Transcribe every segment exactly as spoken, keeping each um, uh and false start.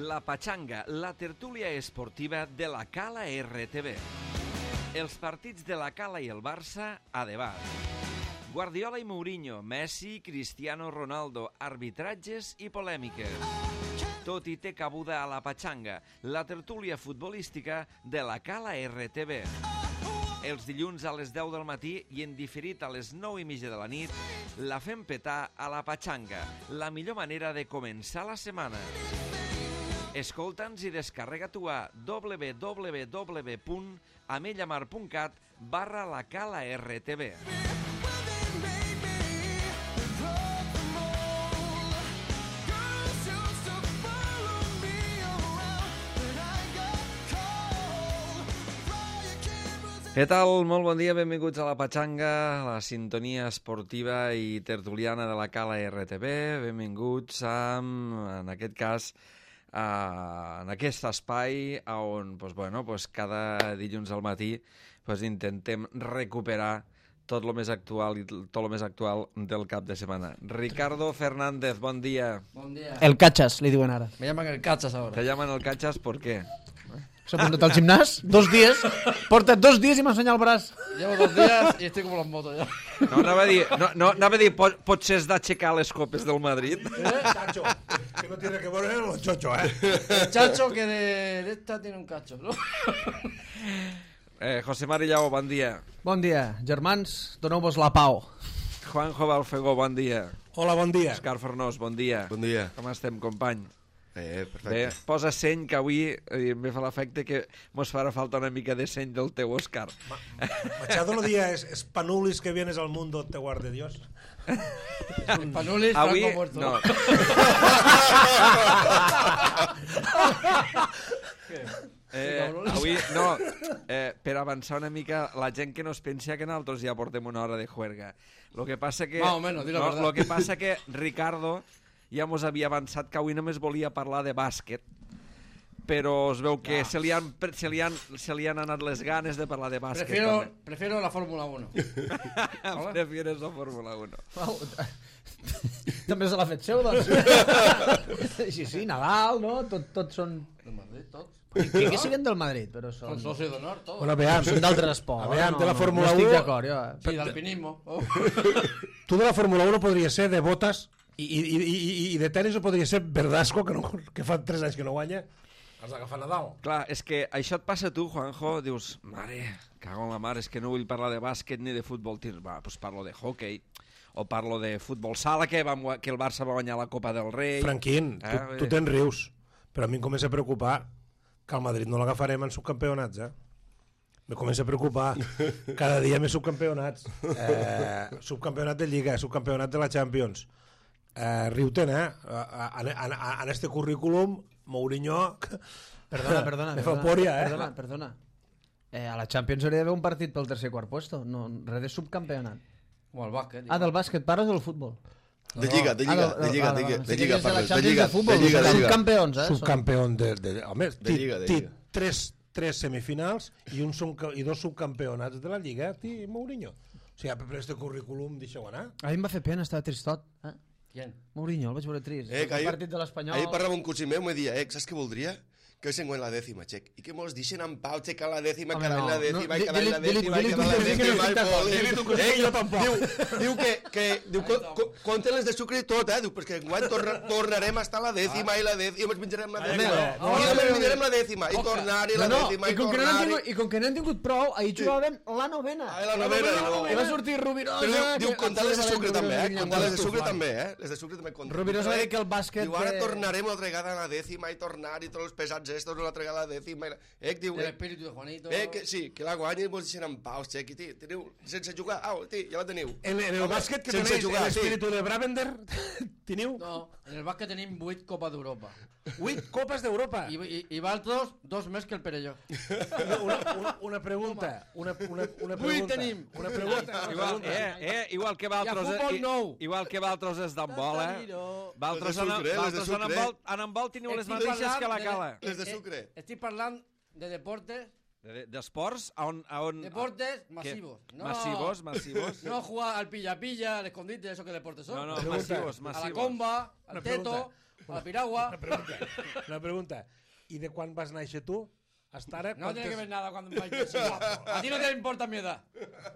La Pachanga, la tertúlia esportiva de la Cala R T V. Els partits de la Cala i el Barça a debat. Guardiola i Mourinho, Messi, Cristiano Ronaldo, arbitratges i polèmiques. Tot hi té cabuda a La Pachanga, la tertúlia futbolística de la Cala R T V. Els dilluns a les deu del matí i en diferit a les nou i mitja de la nit, la fem petar a La Pachanga, la millor manera de començar la setmana. Escolta'ns i descarrega-t'ho a w w w punt amellamar punt cat barra la Cala R T V. Què tal? Molt bon dia, benvinguts a La Pachanga, la sintonia esportiva i tertuliana de la Cala R T V. Benvinguts a, en aquest cas, a, en aquest espai on pues, bueno, pues, cada dilluns al matí pues, intentem recuperar tot el més actual i tot el més actual del cap de setmana. Ricardo Fernández, bon dia. Bon dia. El Cachas, li diuen ara. Me llaman el Cachas ahora. Te llaman el Cachas, ¿por qué? S'ha apuntat al gimnàs, dos dies, porta dos dies i m'ensenya el braç. Llevo dos días y estoy como los motos ya. No, anava a dir, no, no, anava a dir pot, potser has d'aixecar les copes del Madrid. ¿Eh? Chacho, que no tiene que ver los chochos, ¿eh? El chacho que de, de esta tiene un cacho, ¿no? Eh, José Mari Llago, bon dia. Bon dia, germans, doneu-vos la pau. Juanjo Balfegó, bon dia. Hola, bon dia. Òscar Fornós, bon dia. Bon dia. Com estem, company? Eh, perfecte. Bé, posa seny, que avui eh, me fa l'efecte que mos farà falta una mica de seny del teu, Òscar. Ma Machado lo día es, es panulis que vienes al mundo, te guarde Dios. Panulis, Avui, Franco muerto. no. Eh, avui, no, eh, per avançar una mica, la gent que no es pensa que nosaltres ja portem una hora de juerga. Lo que passa que... Más o menos, di la no, verdad. lo que passa que Ricardo ja mos havia avançat que avui només volia parlar de bàsquet, però es veu que Ah. se, li han, se, li han, se li han anat les ganes de parlar de bàsquet. Prefiero, també. prefiero la Fórmula uno. Hola. Prefieres la Fórmula uno. També se l'ha fet seu, doncs. Sí, sí, Nadal, no? Tot, tots són... El Madrid, tots. Que, que siguen del Madrid, però són... Son socios d'honor, todos. Bueno, veam, Són d'altres esports. Aviam, de la Fórmula no estic uno- d'acord, jo. Sí, de alpinismo. Oh. tú de la Fórmula uno podría ser de botas y, y, y, y, y de tenis o podria ser Verdasco, que, no, que fa tres anys que no guanya. Has d'agafar Nadal. Clar, és que això et passa a tu, Juanjo, dius, mare, cago en la mare, és que no vull parlar de bàsquet ni de futbol tir. Va, doncs parlo de hockey, o parlo de futbol sala, que, vam, que el Barça va guanyar la Copa del Rei. Franquín, Eh, tu, tu te'n rius, però a mi em comença a preocupar que el Madrid no l'agafarem en subcampionats, eh? Me comença a preocupar. Cada dia més subcampionats. Eh, subcampionat de Lliga, subcampionat de la Champions. Eh, riu-te'n, eh? En, en, en este currículum, Mourinho... Perdona, perdona. Me fa perdona, pòria, eh? Perdona, perdona. Eh, a la Champions hauria d'haver un partit pel tercer i quart puesto. No, res de subcampionat. Como el básquet. Ah, del bàsquet, parles del futbol. De lliga, de lliga, Ah, de lliga, vale, de lliga, vale. de Sí, lliga, que és de la parles, de Champions lliga, de futbol, de lliga, de lliga. subcampions, eh? Subcampió de, de, home, De lliga, de té lliga. tres, tres semifinals i, un, subca- i dos subcampionats de la Lliga, té Mourinho. O sigui, per este currículum, deixeu anar. A mi em va fer pena, estava tristot. Eh? ¿Quién? Mourinho, el vaig veure trist. Eh, que el ahir- partit de l'Espanyol... Ahir parlava un cosí meu, me dia, eh, saps què voldria? Que se en la dècima, xec. I que mos deixen en pau, xecar la dècima, Home, cada any no, la no, dècima, di- i cada any la di-li- dècima, i di-li cada any tu la que sí que dècima, no i estic d'acord, poli. di-li tu que sí, Eh, jo tampoc. Diu, diu que, que diu, co, co, compten les de sucre i tot, eh? Diu, perquè enguany torna, tornarem a estar a la dècima i la dècima, i ens menjarem la dècima. no, I no, ens no, menjarem la dècima, i tornar i la No, no, dècima, i i com, que no n'han tornar tingut, I com que no han tingut prou, ahir jugàvem la novena. Ah, la novena, i no. I va sortir Rubirosa... Però diu, diu que- comptar les de sucre també, eh? Rubirosa Comptar les de sucre Flan. també, eh? Les de sucre també compten. Rubirosa va dir que el bàsquet... Diu, ara de- tornarem una altra vegada a la dècima i tornar i tots els pesats estos una altra vegada a la dècima. I la... Eh, que diu, El eh, espíritu de Juanito. eh, que sí, que la guanya i vos deixen en pau, xec, i tí, teniu, sense jugar, au, tí, ja la teniu. En, en el Home, bàsquet que sense tenéis jugar, sí. l'espíritu de Bravender, teniu No, en el básquet tenim vuit Copas d'Europa. vuit copes d'Europa. I, i, i Valtros, dos més que el Perelló. Una, una, una pregunta, una, una, una Vuit pregunta. tenim. Una pregunta. una Igual, pregunta. eh, eh, igual que Valtros... I a futbol i- nou. Igual que Valtros és d'handbol, eh? Valtros Les de en, sucre, les de Valtros en sucre. handball, en handball teniu les Estic mateixes parlant que la de- Cala. Les de eh, sucre. eh, Estic parlant de deportes, De- D'esports, a on... A on deportes ¿Qué? masivos. No, Masivos, masivos. No jugar al pilla-pilla, al escondite, eso que deportes son. No, no, Pregunta. masivos, A la masivos. comba, al Una teto. pregunta. a la piragua. Una pregunta, una pregunta. I de quan vas néixer tu? Hasta ara, No tiene que ver quantes... nada cuando me vayas a A ti no te importa mi edad.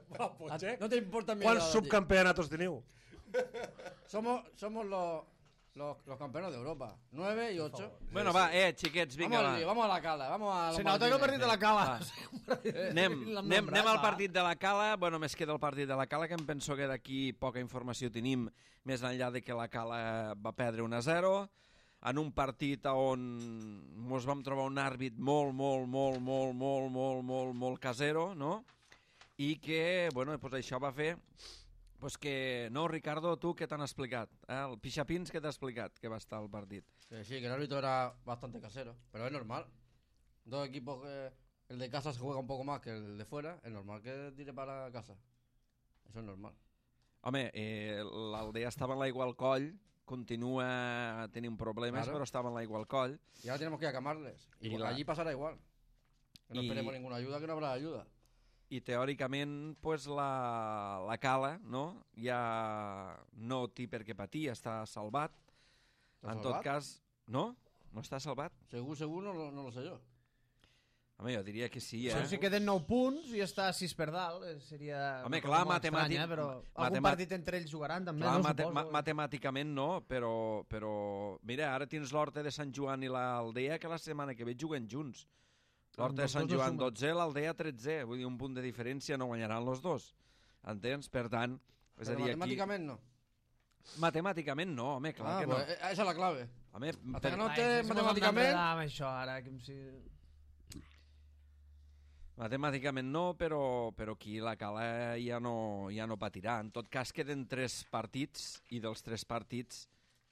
Guapo, A- che. No te importa mi Quants edad. a ti. subcampeonatos teniu? Somos, somos los, los, los campeones de Europa. Nueve y ocho. Bueno, va, eh, xiquets, vinga, Vamos al va. lío, vamos a la cala, vamos a los Se nota que el Martínez. partit de la Cala. Anem, anem, anem al partit de la Cala. Bueno, més queda el partit de la Cala, que em penso que d'aquí poca informació tenim, més enllà de que la Cala va perdre un a zero, en un partit on mos vam trobar un àrbit molt, molt, molt, molt, molt, molt, molt, molt casero, no? I que, bueno, pues això va fer pues que... No, Ricardo, tu què t'han explicat? Eh? El Pixapins, què t'ha explicat que va estar al partit? Que sí, que el árbitro era bastante casero, pero es normal. Dos equipos que el de casa se juega un poco más que el de fuera, es normal que tire para casa. Eso es normal. Home, eh, l'Aldea estava en l'aigua al coll, continua tenint problemes, Claro. però estava en l'aigua al coll. Y ahora tenemos que ir a camarles. Y, Y pues la- allí pasará igual. Que no Y- esperemos ninguna ayuda, que no habrá ayuda. I teòricament pues, la, la Cala no? ja no té per què patir, està salvat. ¿Está En salvat? tot cas, no? No està salvat? Según, según, no, lo- no lo sé yo. Home, jo diria que sí, eh? Doncs si queden nou punts i està a sis per dalt, eh, seria... Home, una cosa clar, molt matemàtic- estranya, però algun matemat- partit entre ells jugaran també, Clar, no? mate Suposo. ma matemàticament no, però, però... Mira, ara tens l'Horta de Sant Joan i l'Aldea, que la setmana que ve juguen junts. L'Horta de Amb Sant els dos Joan sumen. dotze, l'Aldea tretze. Vull dir, un punt de diferència no guanyaran els dos. Entens? Per tant, és a Pero dir, aquí... matemáticamente no. Matemàticament no, home, clar Ah, que no. pues, eh, esa es la clave. Home, Hasta per... que no Ai, te si mos hem matemáticamente... d'enredar amb això, ara, que em si... Matemàticament no, però, però aquí la Cala ja no, ja no patirà. En tot cas, queden tres partits i dels tres partits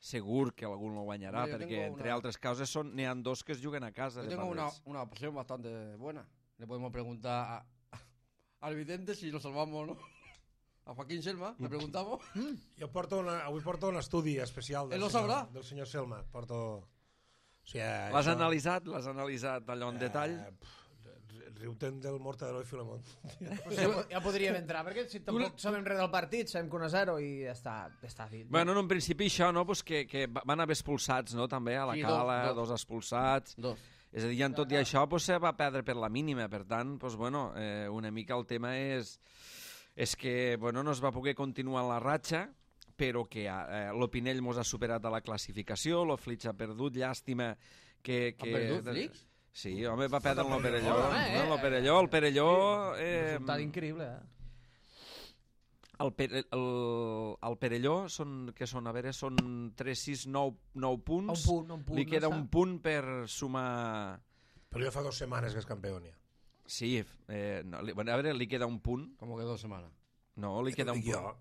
segur que algú no guanyarà, Hombre, jo perquè, tengo entre una- altres causes, són n'hi ha dos que es juguen a casa. Yo de tengo una, Parres. una opción bastante buena. Le podemos preguntar a, al vidente si lo salvamos o no. A Joaquín Selma, le preguntamos. Jo porto una, avui porto un estudi especial del, Ell ho senyor, sabrà. del senyor Selma. Porto... O sigui, L'has això- analitzat? L'has analitzat allò en detall? Eh, pff, riu-te'n del Mortadelo i Filemón. Ja, ja podríem entrar, perquè si tampoc sabem res del partit, sabem que un a zero i ja està, ja està dit. Bueno, en un principi això, no? Pues que, que van haver expulsats, no? També a la Sí, Cala, dos, dos, dos. expulsats. Dos. És a dir, en tot i això pues, se va perdre per la mínima. Per tant, pues, bueno, eh, una mica el tema és, és que bueno, no es va poder continuar la ratxa, però que eh, l'Opinell mos ha superat a la classificació, l'Oflix ha perdut, llàstima que... que... Ha perdut, Flix? Sí, home, va perdre el Perelló. Home, eh? El Perelló, el Perelló... Eh, Resultat increïble, eh? el, Pere, el, el Perelló són, que són, a veure, són tres, sis, nou, nou punts. Un punt, un punt, Li queda no un està. punt per sumar... Però ja fa dues setmanes que és campió, ja. Sí, eh, no, li, bueno, a veure, li queda un punt. Como que dos semanas. No, li queda un Dic punt. jo.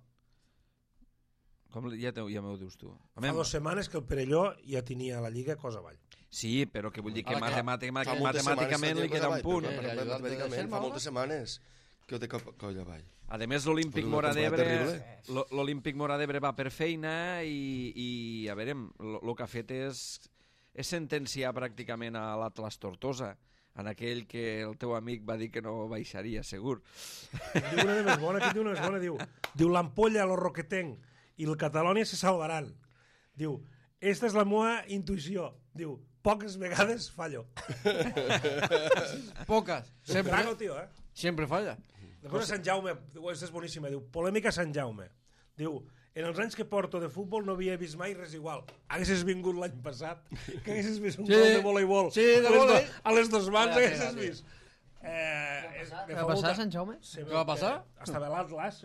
Com li- ja, te, ja m'ho dius tu. Fa dues setmanes que el Perelló ja tenia la Lliga cosa avall. Sí, però que vull dir que Ara que matemàtica, Fa moltes matemàticament setmanes li queda un que punt. però, però, Eh, però, ayudar de matemàticament, Selma, fa home. moltes setmanes que ho té cap coll avall. A més, l'Olímpic Una Mora temporada d'Ebre terrible. lo- l'Olímpic Mora d'Ebre va per feina i, i a veure, el que ha fet és, és sentenciar pràcticament a l'Atlas Tortosa, en aquell que el teu amic va dir que no baixaria, segur. Diu una de més bona, aquí diu una més bona, diu, diu l'ampolla, lo roquetenc i el Catalònia se salvaran. Diu, esta és la meva intuïció. Diu, poques vegades fallo. Pocas. Siempre, Brago, tio, eh? siempre falla. Després de Sant Jaume, diu, aquesta és boníssima, diu, polèmica a Sant Jaume. Diu, en els anys que porto de futbol no havia vist mai res igual. Haguessis vingut l'any passat, que haguessis vist un Sí. gol de voleibol. Sí, de a les do- vòlei. A les dos mans Vaya haguessis tela, vist. Eh, és- me Què fa va molta- passar a Sant Jaume? Se Què veu va que passar? Estava a l'Atlas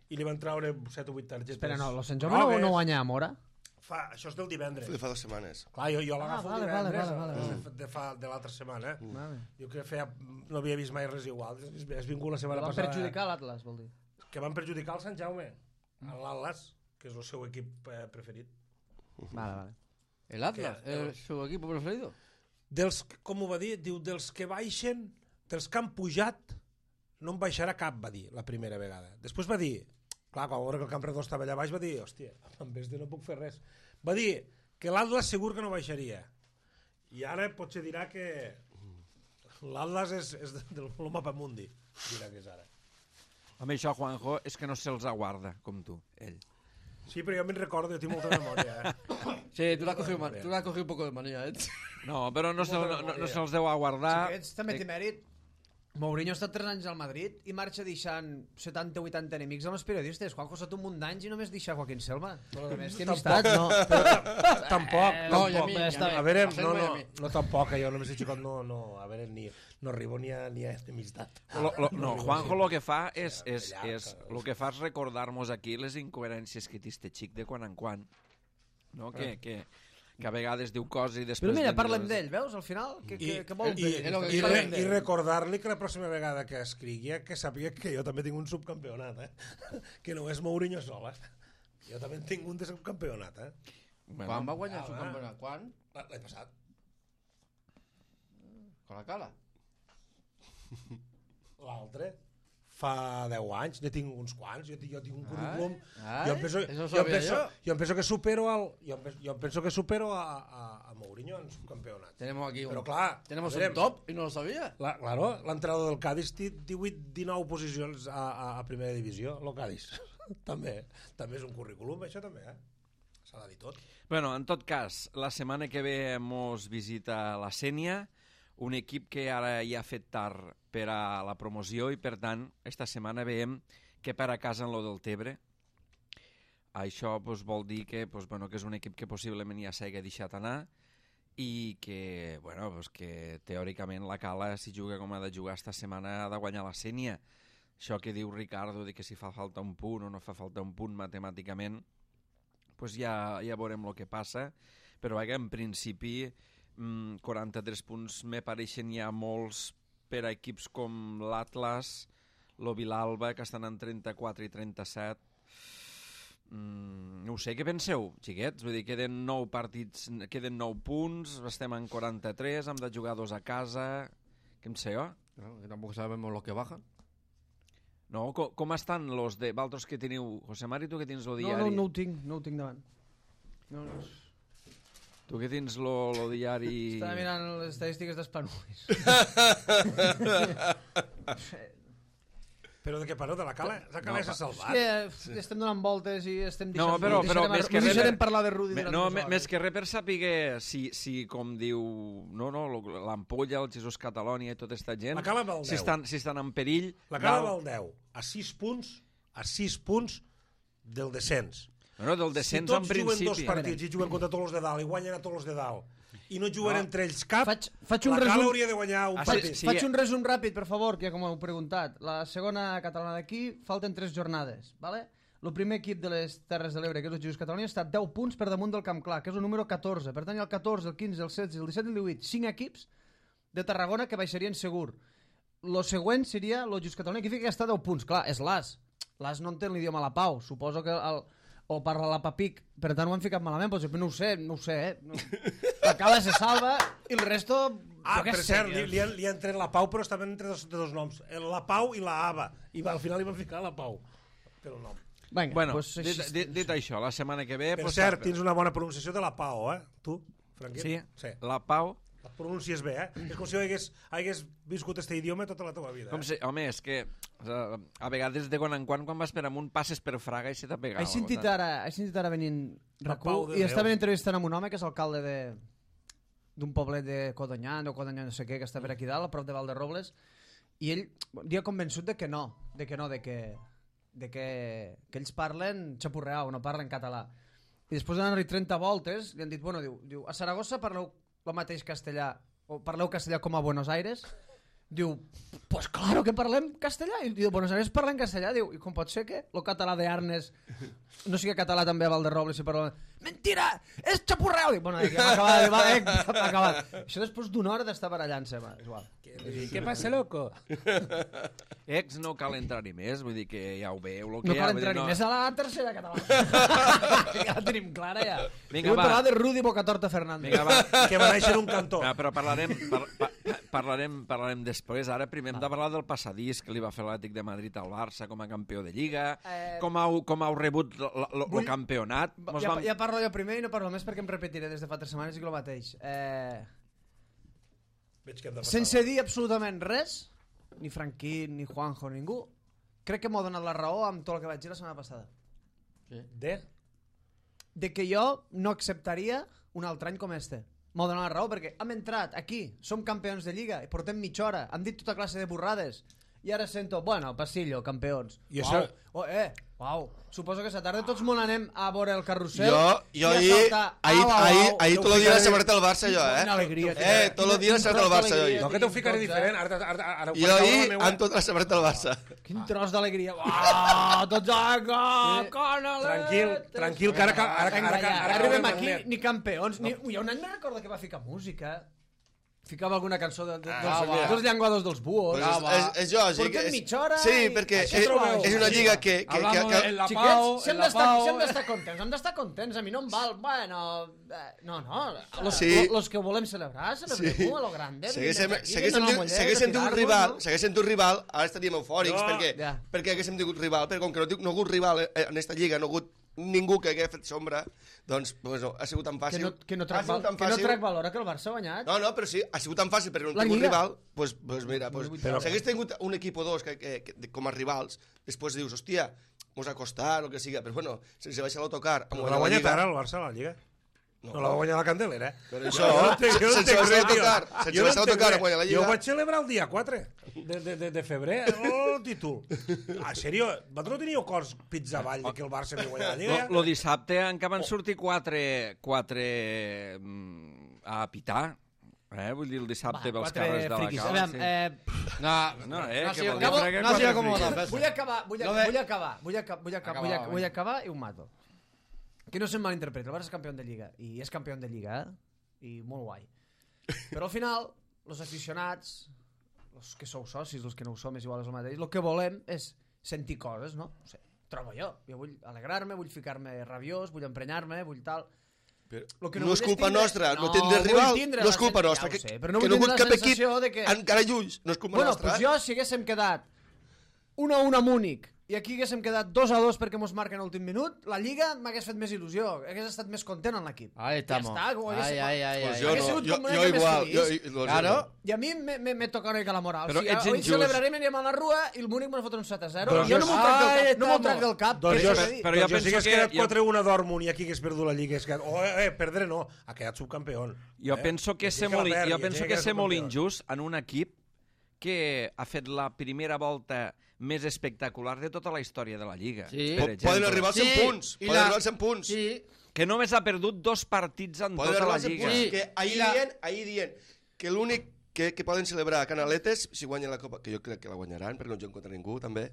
i li van treure set o vuit targetes. Espera, no, el Sant Jaume no, no guanya a Mora? Fa, això és del divendres. De fa dues setmanes. Clar, jo, jo l'agafo Ah, el vale, vale, divendres, vale, vale, de, de, fa, de l'altra setmana. Eh? Vale. Diu que feia, no havia vist mai res igual. Has, has vingut la setmana Van passada. perjudicar l'Atlas, vol dir. Que van perjudicar el Sant Jaume, a l'Atlas, que és el seu equip eh, preferit. Vale, vale. El Atlas, Que- es su equipo preferido. Dels, com ho va dir? Diu, dels que baixen, dels que han pujat, no en baixarà cap, va dir, la primera vegada. Després va dir, clar, quan va veure que el Camp Redó estava allà baix, va dir, hòstia, amb este no puc fer res. Va dir que l'Atlas segur que no baixaria. I ara potser dirà que l'Atlas és, és del mapa mundi, dirà que és ara. Amb això, Juanjo, és que no se'ls aguarda, com tu, ell. Sí, però jo me'n recordo, jo tinc molta memòria, eh? Sí, tú le has cogido, man- tú le has cogido un poco de manía, ¿eh? No, però no, se, no, no, no se'ls deu aguardar. Si aquests també té mèrit. Mourinho ha estat tres anys al Madrid i marxa deixant setanta o vuitanta enemics amb els periodistes. Juanjo ha estat un munt d'anys i només deixa Joaquín Selva. Però a més té amistat, no. Tampoc, No, i a tampoc. mi, ja i està a mi. A veure, Hacerme no, a no, mi. no tampoc, jo només he xicot, no, no, a veure, ni, no arribo ni a, ni a amistat. Lo, lo, no, Juanjo lo que fa és, és, és, lo que fa és recordar-nos aquí les incoherències que té este xic de quan en quan. No? Que, que, que a vegades diu coses i després... Però mira, diu- parlem d'ell, veus, al final? Que, que, que vol I, dir? és lo que i, dic. re, Parlem i d'ell. recordar-li que la pròxima vegada que escrigui que sàpiga que jo també tinc un subcampionat, eh? Que no és Mourinho sol, eh? Jo també en tinc un de subcampionat, eh? Quan va guanyar el ah, subcampionat? Quan? L'any passat. Con la cala. L'altre fa deu anys, ne tinc uns quants, jo, tinc- jo tinc un currículum, ai, jo em penso, eso jo, em sabía penso, yo. jo em penso que supero al, jo, em, penso- jo em penso que supero a, a, a Mourinho en subcampionat. Tenemos aquí un, Però clar, tenemos a veure, un top y no lo sabía. La, claro, l'entrenador del Cádiz té divuit dinou posicions a, a, a primera divisió, el Cádiz. també, també és un currículum, això també, eh? S'ha de dir tot. Bueno, en tot cas, la setmana que ve mos visita la Sénia, un equip que ara ja ha fet tard per a la promoció i, per tant, esta setmana veiem que per a casa en lo del Tebre. Això pues, vol dir que, pues, bueno, que és un equip que possiblement ja s'hagi deixat anar i que, bueno, pues, que teòricament la Cala, si juga com ha de jugar esta setmana, ha de guanyar la Sénia. Això que diu Ricardo de que si fa falta un punt o no fa falta un punt matemàticament, pues ja, ja veurem el que passa, però vaja, en principi mmm, quaranta-tres punts me pareixen ja molts per a equips com l'Atlas, lo Vilalba, que estan en trenta-quatre i trenta-set. Mm, no ho sé, què penseu, xiquets? Vull dir, queden nou partits, queden nou punts, estem en quaranta-tres, hem de jugar dos a casa... Què em sé jo? No, que tampoco sabemos los que bajan. No, com, com estan los de... Valtros que teniu... José Mari, tu que tens el No, diari? no, no ho tinc, no ho tinc davant. No, no. Tu que tens lo, lo diari... Estava mirant les estadístiques d'Espanulis. Però de què parleu? De la Cala? La Cala No, s'ha És salvat. que estem donant voltes i estem No, deixant... però- però deixarem, més que no res- deixarem parlar de Rudi Me, durant no, dues me, hores. més que res per saber si, si com diu no, no, lo- l'Ampolla, el Jesús Catalònia i tota aquesta gent, La Cala val si deu. estan, si estan en perill... La Cala dalt- val deu, a sis punts, a sis punts del descens. No, no, del descens si en tots juguen dos principi. partits i juguen contra tots els de dalt i guanyen a tots els de dalt i no juguen No. entre ells cap, Faig, faig un la Cala resum... hauria de guanyar un Ah, Faig, partit. sí, faig un resum ràpid, per favor, que ja com heu preguntat. La segona catalana d'aquí, falten tres jornades, ¿vale? El primer equip de les Terres de l'Ebre, que és el Jesús Catalunya, està deu punts per damunt del Camp Clar, que és el número catorze. Per tant, hi ha el catorze, el quinze, el setze, el disset i el divuit. Cinc equips de Tarragona que baixarien segur. Lo següent seria el Jesús Catalunya, que fica que està a deu punts. Clar, és l'As. L'As no entén l'idioma la pau. Suposo que el, o parla la Papic, per tant ho han ficat malament, però no ho sé, no ho sé, eh? No. La Cala se salva i el resto... Ah, jo què per sé, cert, que- li, li, han, li han tret la Pau, però estaven entre dos, de dos noms. El- La Pau i la Ava. I va, al final li van ficar la Pau. Per el nom. Vinga, Bueno, pues, dit, així- dit, dit això, la setmana que ve... Per pues, cert, pa- tens una bona pronunciació de la Pau, eh? Tu, Franquet? Sí, Sí. la Pau... La pronuncies bé, eh? És com si hagués, hagués viscut este idioma tota la teva vida. Com Eh? si, home, és que uh, a vegades de quan en quan, quan vas per amunt, passes per Fraga i se t'ha pegat. He sentit ara, he sentit ara venint La RAC1 Pau de i Déu. estaven entrevistant amb un home que és alcalde de d'un poblet de Codonyà, o Codonyà no sé què, que està per aquí dalt, a prop de Valderrobles, i ell dia convençut de que no, de que no, de que, de que, que ells parlen xapurreau, no parlen català. I després d'anar-hi trenta voltes, li han dit, bueno, diu, diu a Saragossa parleu el mateix castellà, o parleu castellà com a Buenos Aires? Diu, pues claro que parlem castellà. I diu, Buenos Aires parlen castellà. Diu, i com pot ser que el català d'Arnes no sigui català també a Valderrobles i parla... Mentira! És xapurreu! Dic, bueno, ja m'ha acabat, va, eh, m'ha acabat. Això després d'una hora d'estar barallant-se, va, és igual. Què passa, loco? Ex no cal entrar-hi més, vull dir que ja ho veu. Lo que No hi cal ha, vull dir, entrar-hi no- més a la tercera catalana. Ja la tenim clara, ja. Vinga, Vull va. parlar de Rudi Bocatorta Fernández. Vinga, va. Que va néixer en un cantó. No, però parlarem, par, pa, parlarem, parlarem després. Ara primer hem de parlar del passadís que li va fer l'Atlètic de Madrid al Barça com a campió de Lliga, Eh, com, heu, com heu rebut el vull- campionat. Mos Ja, vam... ja parlo jo primer i no parlo més perquè em repetiré des de fa tres setmanes i que el mateix. Eh... Veig que hem de passar. Sense dir absolutament res, ni Franquín, ni Juanjo, ningú, crec que m'ho ha donat la raó amb tot el que vaig dir la setmana passada. Sí. De? de que jo no acceptaria un altre any com este. M'ho dona la raó, perquè hem entrat aquí, som campions de Lliga, i portem mitja hora, hem dit tota classe de burrades, i ara sento, bueno, pasillo, campions. I Uau, això- oh, eh, uau. Suposo que esta tarda tots molt anem a veure el carrusel. Jo, i jo a ahir, saltar, ahir, au, au, ahir, au. ahir Teu tot el dia ficaré- la samarreta del Barça, jo, Quina eh? alegria. Eh, tot el dia la samarreta del Barça, jo. No, que t'ho ficaré diferent. Ara, ara, ara, ara ho Jo faré caure ahir, la meua. amb tota la samarreta del Barça. Quin tros d'alegria. Uau, tots a go, canaletes. Tranquil, tranquil, que ara, ara, ara, Vinga, ara, ja, ara, arribem caurem aquí, net. ni campions. Ni... Ui, un any me recorda que va ficar música. Ficava alguna cançó de, de, dels, Ah, va. dels llenguados dels buos. Pues Ah, és, va. és, és lògic. Portem és- mitja hora Sí, i- perquè Això és, trobeu. és una lliga que... que, que, Hablamos que, en la Xiquets, Pau, si hem en la d'estar Pau, si hem eh. d'estar contents, hem d'estar contents. A mi no em val, bueno... eh, No, no, los, Sí. los que volem celebrar, celebrem Sí. a lo grande. Segueixen, vindrem aquí, segueixen, anem a Mollet, segueixen a d'un tirar-nos, rival, no? segueixen d'un rival, ara estaríem eufòrics, No. perquè, Ja. perquè haguéssim tingut rival, però com que no, no ha hagut rival eh, en aquesta lliga, no ha hagut ningú que hagués fet sombra, doncs, pues no, ha sigut tan Que fàcil. no, que no ha trac, sigut val, tan que no fàcil. trac valora que el Barça ha guanyat. No, no, però sí, ha sigut tan fàcil perquè no La ha tingut Lliga. rival, pues, pues mira, pues, Però- si hagués tingut un equip o dos que, que, que, com a rivals, després dius, hòstia, mos ha costat, el que siga, però bueno, sense baixar l'autocar, amb No guanyar l'ha la guanyat Lliga... ara el Barça, la Lliga. No, la va guanyar la Candelera, eh? Per això, Jo no entenc- jo no sense entenc baixar res, tio. l'autocar, sense Jo no baixar entenc l'autocar, res. a guanyar la Lliga... Jo ho vaig celebrar el dia quatre de, de, de, de febrer, el títol. Ah, sèrio? Vosaltres no teníeu cors pits avall de que el Barça havia guanyat la Lliga? Lo, lo dissabte encara van sortir quatre, quatre mm, a pitar. Eh? Vull dir, el dissabte Va, pels quatre carrers de la friquis. cala. Aviam, Sí. eh, No, No, eh, no, que sí, vol dir acabo- que no quatre siga como friquis. la vull acabar, vull, Lo de- vull acabar, vull, aca vull, aca Acaba, vull, aca vinga. vull acabar i ho mato. Que no se'm malinterpreti, el Barça és campió de Lliga, i és campió de Lliga, eh? I molt guai. Però al final, els aficionats, els que sou socis, els que no ho som, és igual, és el mateix, el que volem és sentir coses, no? No sé, trobo jo. Jo vull alegrar-me, vull ficar-me rabiós, vull emprenyar-me, vull tal... Però Lo que no, no és vull és culpa tindre- nostra, no, no, tindre vull rival, tindre no és la culpa sen- nostra, ja ho que, sé, però no que vull no ha hagut tindre cap la equip sensació de que- encara lluny, no és culpa Bueno, nostra. doncs jo, si haguéssim quedat un a un a Múnich i aquí haguéssim quedat dos a dos perquè mos marquen a l'últim minut, la Lliga m'hagués fet més il·lusió, hagués estat més content en l'equip. Ahí estamos. Ja està, ho hagués- Ay, ay, ay, Pues ay, jo ay. Hagués no, sigut jo, com una jo mica més igual. feliç. Jo, doncs Claro. jo no. I a mi me, me, me toca una mica la moral. Però o sigui, ets hoy injust. celebrarem, anirem a la rua i el Múnich me'n fot un set a zero. Doncs jo no jo- m'ho trac del Ai, cap, no m'ho estamos. trac del cap. Doncs què jo, s'ha de dir? però jo doncs jo penso si hagués que- quedat jo- quatre a un a Dortmund i aquí hagués perdut la Lliga, hagués quedat... Oh, eh, eh, perdre no, ha quedat subcampió. Jo eh? penso que I ser la molt, perdi, jo i penso aquí que queda ser molt subcampió. injust en un equip que ha fet la primera volta més espectacular de tota la història de la Lliga. Sí. per Po- exemple. Poden arribar als cent Sí, punts, i poden la- arribar als cent punts. Sí, Que només ha perdut dos partits en Poden tota arribar la als cent Lliga. punts. Sí. Que ahir I la- dient, ahir dient que l'únic que, que poden celebrar a Canaletes si guanyen la Copa, que jo crec que la guanyaran, perquè no juguem contra ningú, també,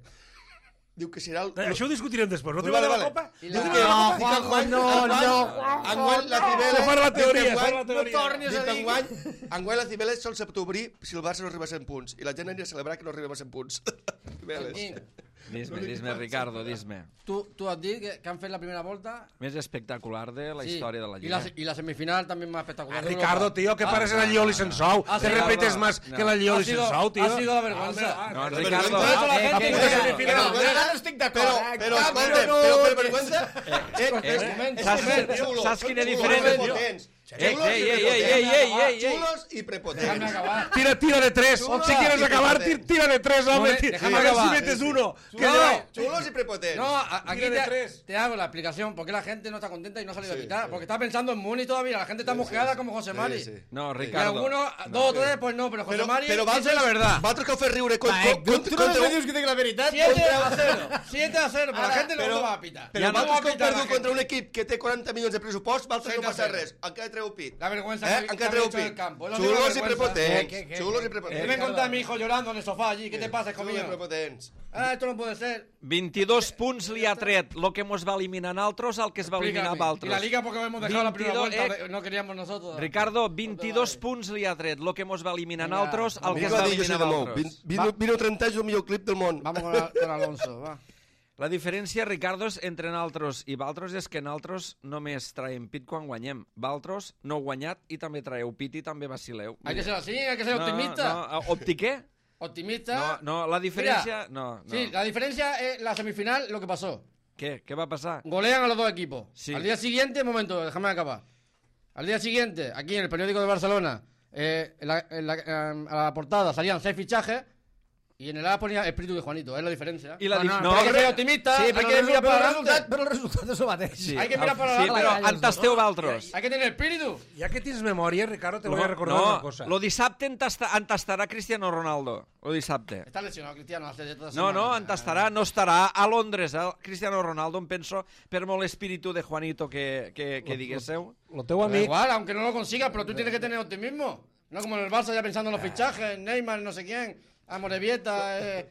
diu que serà el... Eh, això ho discutirem després. No Vale, te va de la vale. Copa? I No la- te va de la No, Copa? Juanjo, no, no. Enguany la Cibele... Se fa la teoria, diu que se fa la enguany- teoria. No tornis Diu a que dir. enguany, enguany la Cibele sol se pot obrir si el Barça no arriba a cent punts. I la gent aniria a celebrar que no arribem a cent punts. Cibeles. Quim, Dis-me, dis-me, Ricardo, dis-me. tu, tu has dit que, que han fet la primera volta. Més espectacular de la Sí. història de la Y Lliga. la, y la semifinal también más espectacular. Ah, Ricardo, tío, que pares en el Lioli Sensou. Ah, Te sí, repites no, más no. que en el Lioli Ha sido- Sensou, tío. ha sido la vergüenza. Ah, No, ah, Ricardo, vergüenza. Por eso la Eh, gente que- puede que- ser que- semifinal. que- no estic d'acord, Però, eh? però, Cap, escolta, no, però per que- vergüenza... Eh, momento. Saps- xulos, saps quina xulos diferència? i prepotents. Ei, Xulos i ei, ei, ei, prepotents. ei, ei, ei, ei. Xulos i prepotents. Déjame acabar. Tira, tira de tres. Chulo. Si quieres Sí, acabar, sí, ti- sí. tira de tres, hombre. No, Ti- déjame A ver si acabar. metes uno. Que No. yo- Xulos i prepotents. No, a- aquí Tira de te, tres. te hago la explicación por qué la gente no está contenta y no ha salido Sí, a quitar. sí. Porque está pensando en Muni todavía. La gente está mosqueada como José Mari. Sí, sí. No, Y Ricardo. algunos, dos o tres, pues no, pero José Però, Mari però dice la verdad. vosaltres que heu fet riure con, Va, con, eh, con, tu no contra, me dius que dic la veritat? siete a cero. siete a cero. Pero la Ara, gente no però- lo va a pitar. però Ja no vosaltres va que heu pitar la perdut gente. contra un equip que té quaranta milions de pressupost, vosaltres no Set a passa zero. res. Encara treu pit. La vergüenza Eh? que, que Encara han treu hecho en el pit. campo. Es lo único Xulos que i vergüenza. prepotents. Eh, que- que- Xulos i Que prepotents. me contar a mi hijo llorando en el sofá allí. ¿Qué te pasa, hijo Xulos i mío? prepotents. Ah, esto no puede ser. vint-i-dos punts li ha tret el que mos va eliminar a altres, el que es va eliminar a Explícame. Y altres. la liga porque hemos dejado la primera veintidós, vuelta. eh, No queríamos nosotros. Ricardo, vint-i-dos punts li ha tret el que mos va eliminar a Vinga, altres, el que Vinga, es va va dir José eliminar de a Mou. altres. Vino, vino trenta anys el millor clip del món. Vamos con, a- con Alonso, va. La diferència, Ricardo, és entre naltros i Valtros és que naltros només traiem pit quan guanyem. Valtros no heu guanyat i també traeu pit i també vacileu. Hay que ser así, hay que ser No, optimista. No, optiqué? Optimista. No, no, la diferència... No, no. Sí, la diferencia es la semifinal, lo que pasó. Què? Què va passar? Golean a los dos equipos. Sí. Al día siguiente, un momento, déjame acabar. Al día siguiente, aquí en el periódico de Barcelona, eh, en la- en la- en- a la portada salían seis fichajes Y en el A ponía espíritu de Juanito, es la diferencia. I la No, dif... no, no, hay que però- ser optimista, Sí, hay però, que el, mirar però, para el adelante. resultat, però el resultat és el mateix. Sí, Hay que mirar para sí, adelante. però en tasteu valtros. Hay que tener espíritu. Ya que tienes memoria, Ricardo, te voy No, a recordar no, una cosa. lo dissabte en, tasta, en tastarà Cristiano Ronaldo. Lo dissabte. Está lesionado Cristiano hace de toda No, semana. no, en tastarà, no estarà a Londres, eh? Cristiano Ronaldo, em penso, per molt espíritu de Juanito que, que, que diguésseu. Lo teu Da amic... igual, aunque no lo consigas, pero tú tienes que tener optimismo. No como en el Barça ya pensando en los fichajes, Neymar, no sé quién, Amorebieta, eh,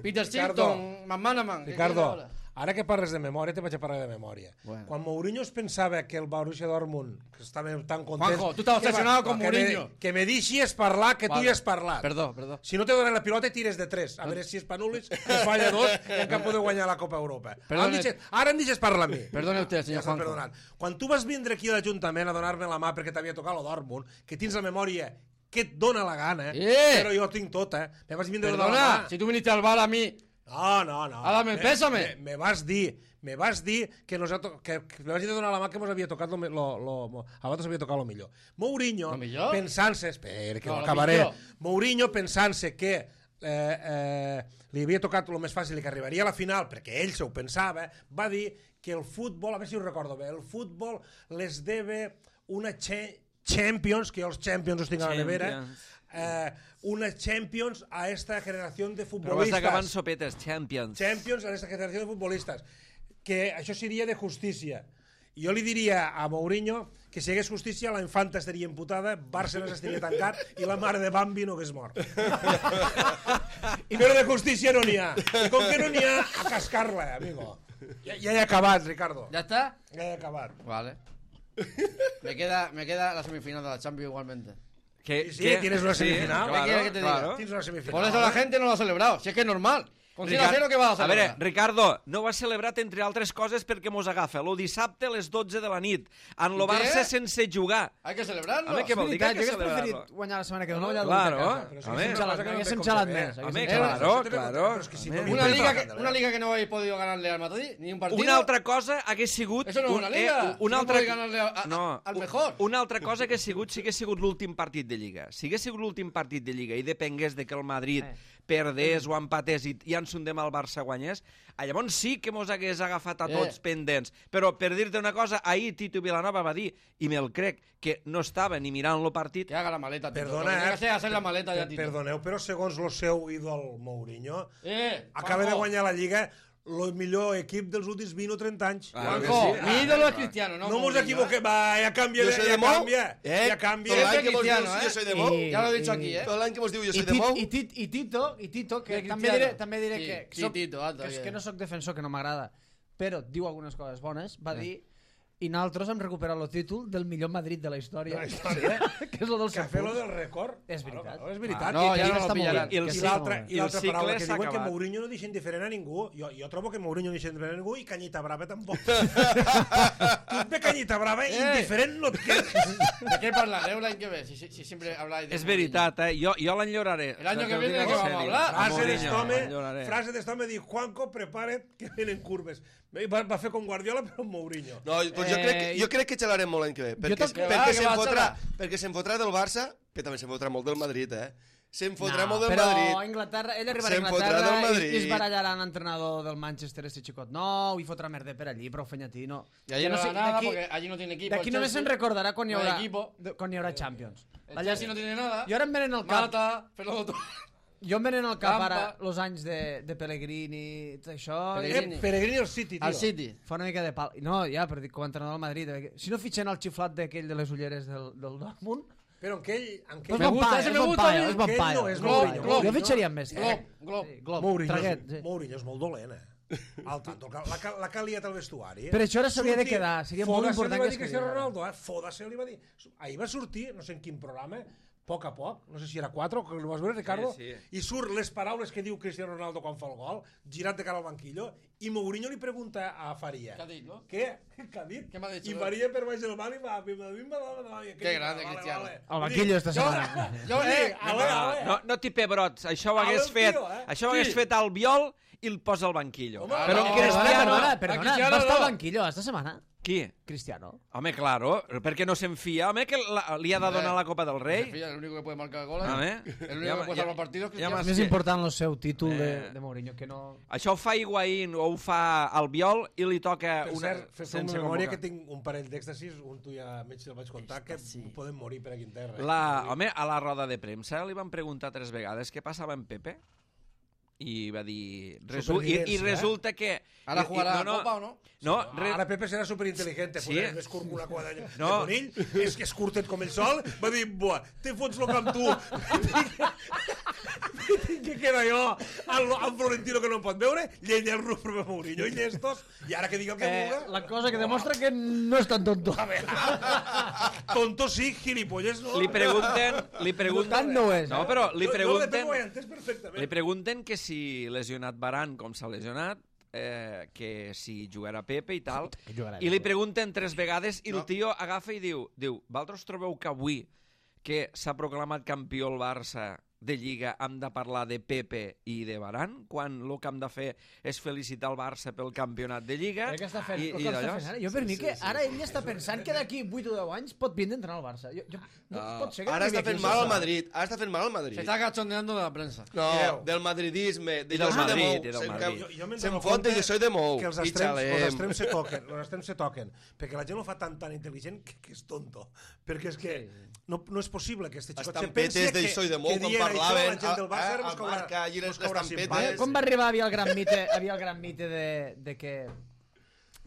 Peter Ricardo, Shilton, McManaman. ¿qué Ricardo, quieres ahora? ara que parles de memòria, te vaig a parlar de memòria. Bueno. Quan Mourinho es pensava que el Borussia Dortmund, que estava tan content... Juanjo, tú estás que obsesionado va- con que me- Mourinho. Que me deixis parlar, que tu Vale. ja has parlat. Perdó, perdó. Si no te donen la pilota, tires de tres. A veure si Spanulis es falla dos i encara podeu guanyar la Copa Europa. Ara em Perdone. deixes, ara em deixes parlar a mi. Perdone usted, Ja señor estàs Juanjo. perdonant. Quan tu vas vindre aquí a l'Ajuntament a donar-me la mà perquè t'havia tocat el Dortmund, que tens la memòria que et dona la gana, Eh! però jo tinc tota, me vas vindre a donar la Perdona, mà. si tú viniste al bar a mí, No, no, no. Ah, dame el Me- pésame. Me, me vas dir, me vas dir que, nos ha to que, que me vas dir de donar la mà que mos havia tocat lo, me- lo, lo, a vosaltres havia tocat lo millor. Mourinho, Lo millor? pensant-se, espera, que No, no, lo acabaré. millor. Mourinho pensant-se que eh, eh, li havia tocat el més fàcil i que arribaria a la final, perquè ell se ho pensava, va dir que el futbol, a veure si ho recordo bé, el futbol les debe una che Champions, que jo els Champions els tinc a la nevera, Champions. eh, una Champions a esta generació de Però vas acabant futbolistas. sopetes, Champions. Champions a esta generació de futbolistas. Que això seria de justícia. I jo li diria a Mourinho que si hi hagués justícia la infanta estaria imputada, Bárcenas estaria tancat i la mare de Bambi no hagués mort. I però de justícia no n'hi ha. I com que no n'hi ha, a cascar-la, amigo. Ja, ja he acabat, Ricardo. ¿ya está? Ja he acabat. Vale. Me queda, me queda la semifinal de la Champions igualmente. Que, Sí, sí, tienes una semifinal. ¿Qué quieres que te diga? claro. Tens una semifinal. Por eso la gente no lo ha celebrado. Si es que es normal. Con cien a Ricard- cero, ¿qué vas a A celebrar? veure, Ricardo, no ho has celebrat entre altres coses perquè mos agafa lo dissabte a les dotze de la nit, en lo I què? Barça sense jugar. Hay que celebrarlo. Home, què vol dir que hay que Jo hagués celebrarlo? preferit guanyar la setmana que ve, no guanyar Claro, l'última casa. Però si a és ver. una cosa que no Haguéssim té gelat com més. fer. Home, haguéssim Eh, gelat claro, més. claro. Però és que si Home. no Una liga, que, Pero- una liga que no habéis podido ganarle al Madrid, ni un partido. Una altra cosa hagués sigut... Eso no es un- una liga. Eh, una No altra... podéis ganarle a- a- no, al un- mejor. Una altra cosa que ha sigut, si hagués sigut l'últim partit de Lliga. Si hagués sigut l'últim partit de Lliga i depengués de que el Madrid Eh. perdés o empatés i, i ens hundem al Barça guanyés, llavors sí que mos hagués agafat a tots Eh. pendents. Però per dir-te una cosa, ahir Tito Vilanova va dir, i me'l crec, que no estava ni mirant lo partit. Que haga la maleta, Tito. Perdona, Lo que tiene eh? que hacer es hacer la maleta ya, Per- Tito. Perdoneu, però segons el seu ídol Mourinho, Eh, acaba de Juanjo, guanyar la Lliga el millor equip dels últims vint o trenta anys. Claro que Juanjo, sí. mi ídolo es Cristiano, ¿no? No mos Mourinho, equivoquem, va, ja canvia, Jo de, soy ja de Mou, canvia, eh? ja canvia. Tot l'any Ese que mos dius cristiano, jo eh? soy de Mou, I- Ya lo he dicho aquí, ¿eh? tot l'any que mos diu jo I, soy de tit, Mou, i, tit, i Tito, i Tito que Que també Cristiano. diré, també diré Sí, que, sí, soc, Tito, alto, que, és bien. que no sóc defensor, que no m'agrada, però diu algunes coses bones, va dir i nosaltres hem recuperat el títol del millor Madrid de la història, De la història. que és el dels Que cent fer lo punts. del record. És Claro, veritat. claro, és veritat. Ah, no, I- ja i- no lo està molt pillarán. bé. I el Que I sí, l'altra molt bé. i l'altra I el paraula cicle que s'ha diuen que acabat. Mourinho no deixa indiferent a ningú. Jo, jo trobo que Mourinho no deixa indiferent a ningú i Canyita Brava tampoc. Tu et ve Canyita Brava i Eh. indiferent no et quedes. ¿De qué parlaré? ¿Hay que ver? Si, si, si siempre habláis de És Mourinho. veritat, eh? Jo, jo l'enyoraré. El año que Te ho viene, dic ¿de qué en vamos a sèrio. hablar? A Frase Mourinho, d'estome, l'enyoraré. frase d'estome, diu Juanco, prepara't que venen curves. Va, va fer com Guardiola però amb Mourinho. No, doncs jo, Eh, crec, que- jo crec que xalarem molt l'any que ve, perquè, també- perquè, Va, que se'n va, fotrà, xala. perquè se'n fotrà del Barça, que també se'n fotrà molt del Madrid, eh? Se'n fotrà No, molt del però Madrid. a Inglaterra, ell arribarà a Se'n fotrà Inglaterra del i, Madrid. i es barallaran l'entrenador del Manchester, este xicot nou, i fotrà merda per allí, però fenyatí, no. Y allí Ja no, sé, sé, nada d'aquí- porque allí no tiene equipo. D'aquí el només Chelsea. se'n recordarà quan hi No hi ha haurà, equipo. de- quan hi haurà Champions. El Chelsea no tiene nada. Jo ara em venen al cap, Mata, Peloto. jo em venen al cap Lampa. ara els anys de, de Pellegrini, tot això, Pellegrini. i Eh, Peregrini al City, tio. Al City. fa una mica de pal. No, ja, però dic, com a entrenador del Madrid, eh, si no fitxen el xiflat d'aquell de les ulleres del, del Dortmund, Però en aquell... En és aquell... Me bon gusta, paio, ese és me bon gusta a paio, mí. és bon Aquell paio. no és Glob, Mourinho. Glob. Jo fitxaria amb més. Glob, Glob. Sí, Glob, Mourinho, traguet, és, sí. Mourinho és molt dolent, eh? El tanto, la, la, la que ha liat al vestuari. Eh? Per això ara s'hauria de Sortir- quedar, seria molt Foda-se important li va que dir es Cristiano quedara. Ronaldo, eh? Foda-se li va dir. Ahir va sortir, no sé en quin programa, a poc a poc, no sé si era quatre o que ho vas veure, Ricardo, Sí, i surt les paraules que diu Cristiano Ronaldo quan fa el gol, girat de cara al banquillo, i Mourinho li pregunta a Faria, ¿Qué ha dicho, no? què? Què ha dit? Què m'ha dit, I no? Faria per baix del banc i va, bim, bim, bim, bim, bim, Qué grande, Cristiano. Al banquillo esta setmana. Yo, eh, Ale, ale. No, no t'hi pebrots, això ho Ale, hagués el fet, tio, eh? això ho Sí. hagués fet al Biol i el posa al banquillo. Home, Però no, en no, Perdona, Cristiano... perdona, A perdona, Cristiano va estar al no. banquillo esta setmana. Qui? Cristiano. Home, claro, perquè no se'n fia. Home, que la, li ha de donar la Copa del Rei. El único que puede marcar goles. Home. El único que puede salvar partidos. Ja És m'has- més important el seu títol de, Eh. de Mourinho, que no... Això ho fa Higuaín o ho fa Albiol i li toca Per una... cert, fes una sense memòria convocar. que tinc un parell d'èxtasis, un tu ja mig el vaig contar, que poden morir per aquí en terra. eh? La, home, a la roda de premsa li van preguntar tres vegades què passava amb Pepe i va dir... Resu i, I Supervivència, resulta que... Ahora i- jugará i- no, no, Copa o no? No, No, re... ara Pepe serà superintel·ligente, Sí. sí. més curt que una quadra de No. conill, és que és curtet com el sol, va dir, buah, te fots lo que amb tu. Què queda jo? El, el Florentino que no em pot veure, llenya el Rufo Mourinho i llestos, i ara que digui el que Eh, vulga... la cosa que demostra que no és tan tonto. A veure, tonto sí, gilipolles no. li pregunten... Li pregunten... Tant no és, eh? No, però li Jo, jo de pregunten... Pepe ho he entès perfectament. Li pregunten que si lesionat Varane, com s'ha lesionat, eh, que si jugarà Pepe i tal, i li pregunten tres vegades i el tio agafa i diu, diu, vosaltres trobeu que avui que s'ha proclamat campió el Barça de Lliga hem de parlar de Pepe i de Varane, quan el que hem de fer és felicitar el Barça pel campionat de Lliga. Crec que està fent, i, el i que està d'allò. fent ara. Jo per mi que ara ell està pensant que d'aquí vuit o deu anys pot vindre a entrenar al Barça. Jo, jo, no, pot ser que Ara arribi està aquí fent al mal al Barça. Madrid. Ara està fent mal al Se Madrid. está cachondeando de la prensa. No, Mireu. del madridisme. De I del jo soy de Madrid, Mou. i del Se'n- Madrid. Jo, jo me'n Se'n dono fot compte de jo soy de Mou. que els I extrems, els xalem. extrems se toquen, els extrems se toquen, perquè la gent ho fa tan tan intel·ligent que, que és tonto. Perquè és que no, no és possible que este xicot se pensi Estampetes de que, Soy de Mou, que quan dient parlaven, això, la gent del Barça a- ara a mos caurà, marca allí les mos caurà estampetes. simpàtic. Com va arribar, havia el gran mite, havia el gran mite de, de que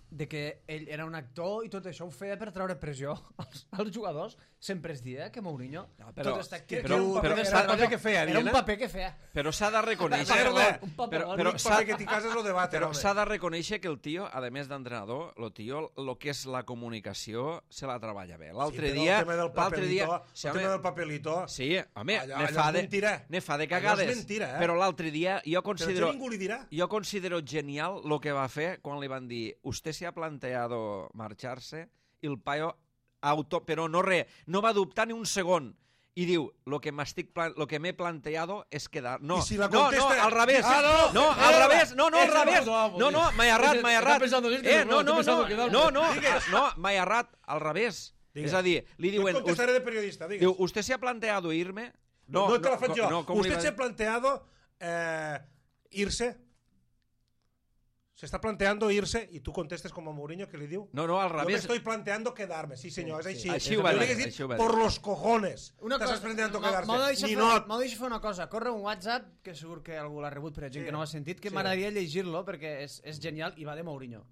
de que ell era un actor i tot això ho feia per treure pressió als, als jugadors. Sempre es dia que Mourinho No, però- tot està Que, actiu. però, però- però, s'ha- era un paper que feia, Era un Diana. paper que feia. Però s'ha de reconèixer... Merda! Un paper, Però- un però L'únic s'ha- paper que t'hi cases és el debat, Però home. s'ha de reconèixer que el tio, a més d'entrenador, el tio, el que és la comunicació, se la treballa bé. L'altre Sí, però dia... el tema del l'altre dia, papelito, sí, el home, tema del papelito, sí, home, Allò- ne allò fa és de, mentira. ne fa de Allò és cagades. mentira, eh? Però l'altre dia jo però considero... això ningú li dirà. Jo considero genial lo que va fer quan li van dir usted se ha planteado marcharse y el paio auto, però no res, no va dubtar ni un segon i diu, lo que m'estic plan lo que m'he planteado és quedar... No, I si la no, contesta- no, al revés. Ah, no, no, eh, al revés, no, no, al ese no revés. pensaba, No, no, m'he errat, Ese- m'he está errat. pensando en irte, Eh, no, no, está no, pensando no, quedarme. no, no, no, m'he errat, al revés. Digues. És a dir, li Jo et diuen... contestaré de periodista, digues. Diu, ¿usted se ha planteado irme? No, no te la faig co- jo. No, com li Usted va se ha dir? planteado eh, irse. Se está planteando irse y tú contestes como Mourinho que le diu. No, no, al Yo me revés. estoy planteando quedarme. Sí, señor, es així. Així ho va Jo li dir, hagués dit, així ho va por dir. los cojones. Una T'estàs cosa, planteando m'ha- quedarse. m'ha de deixar Ni fer- no. m'ha de deixar fer una cosa. Corre un WhatsApp, que segur que algú l'ha rebut, però gent Sí. que no ho ha sentit, que Sí. m'agradaria llegir-lo perquè és, és genial i va de Mourinho.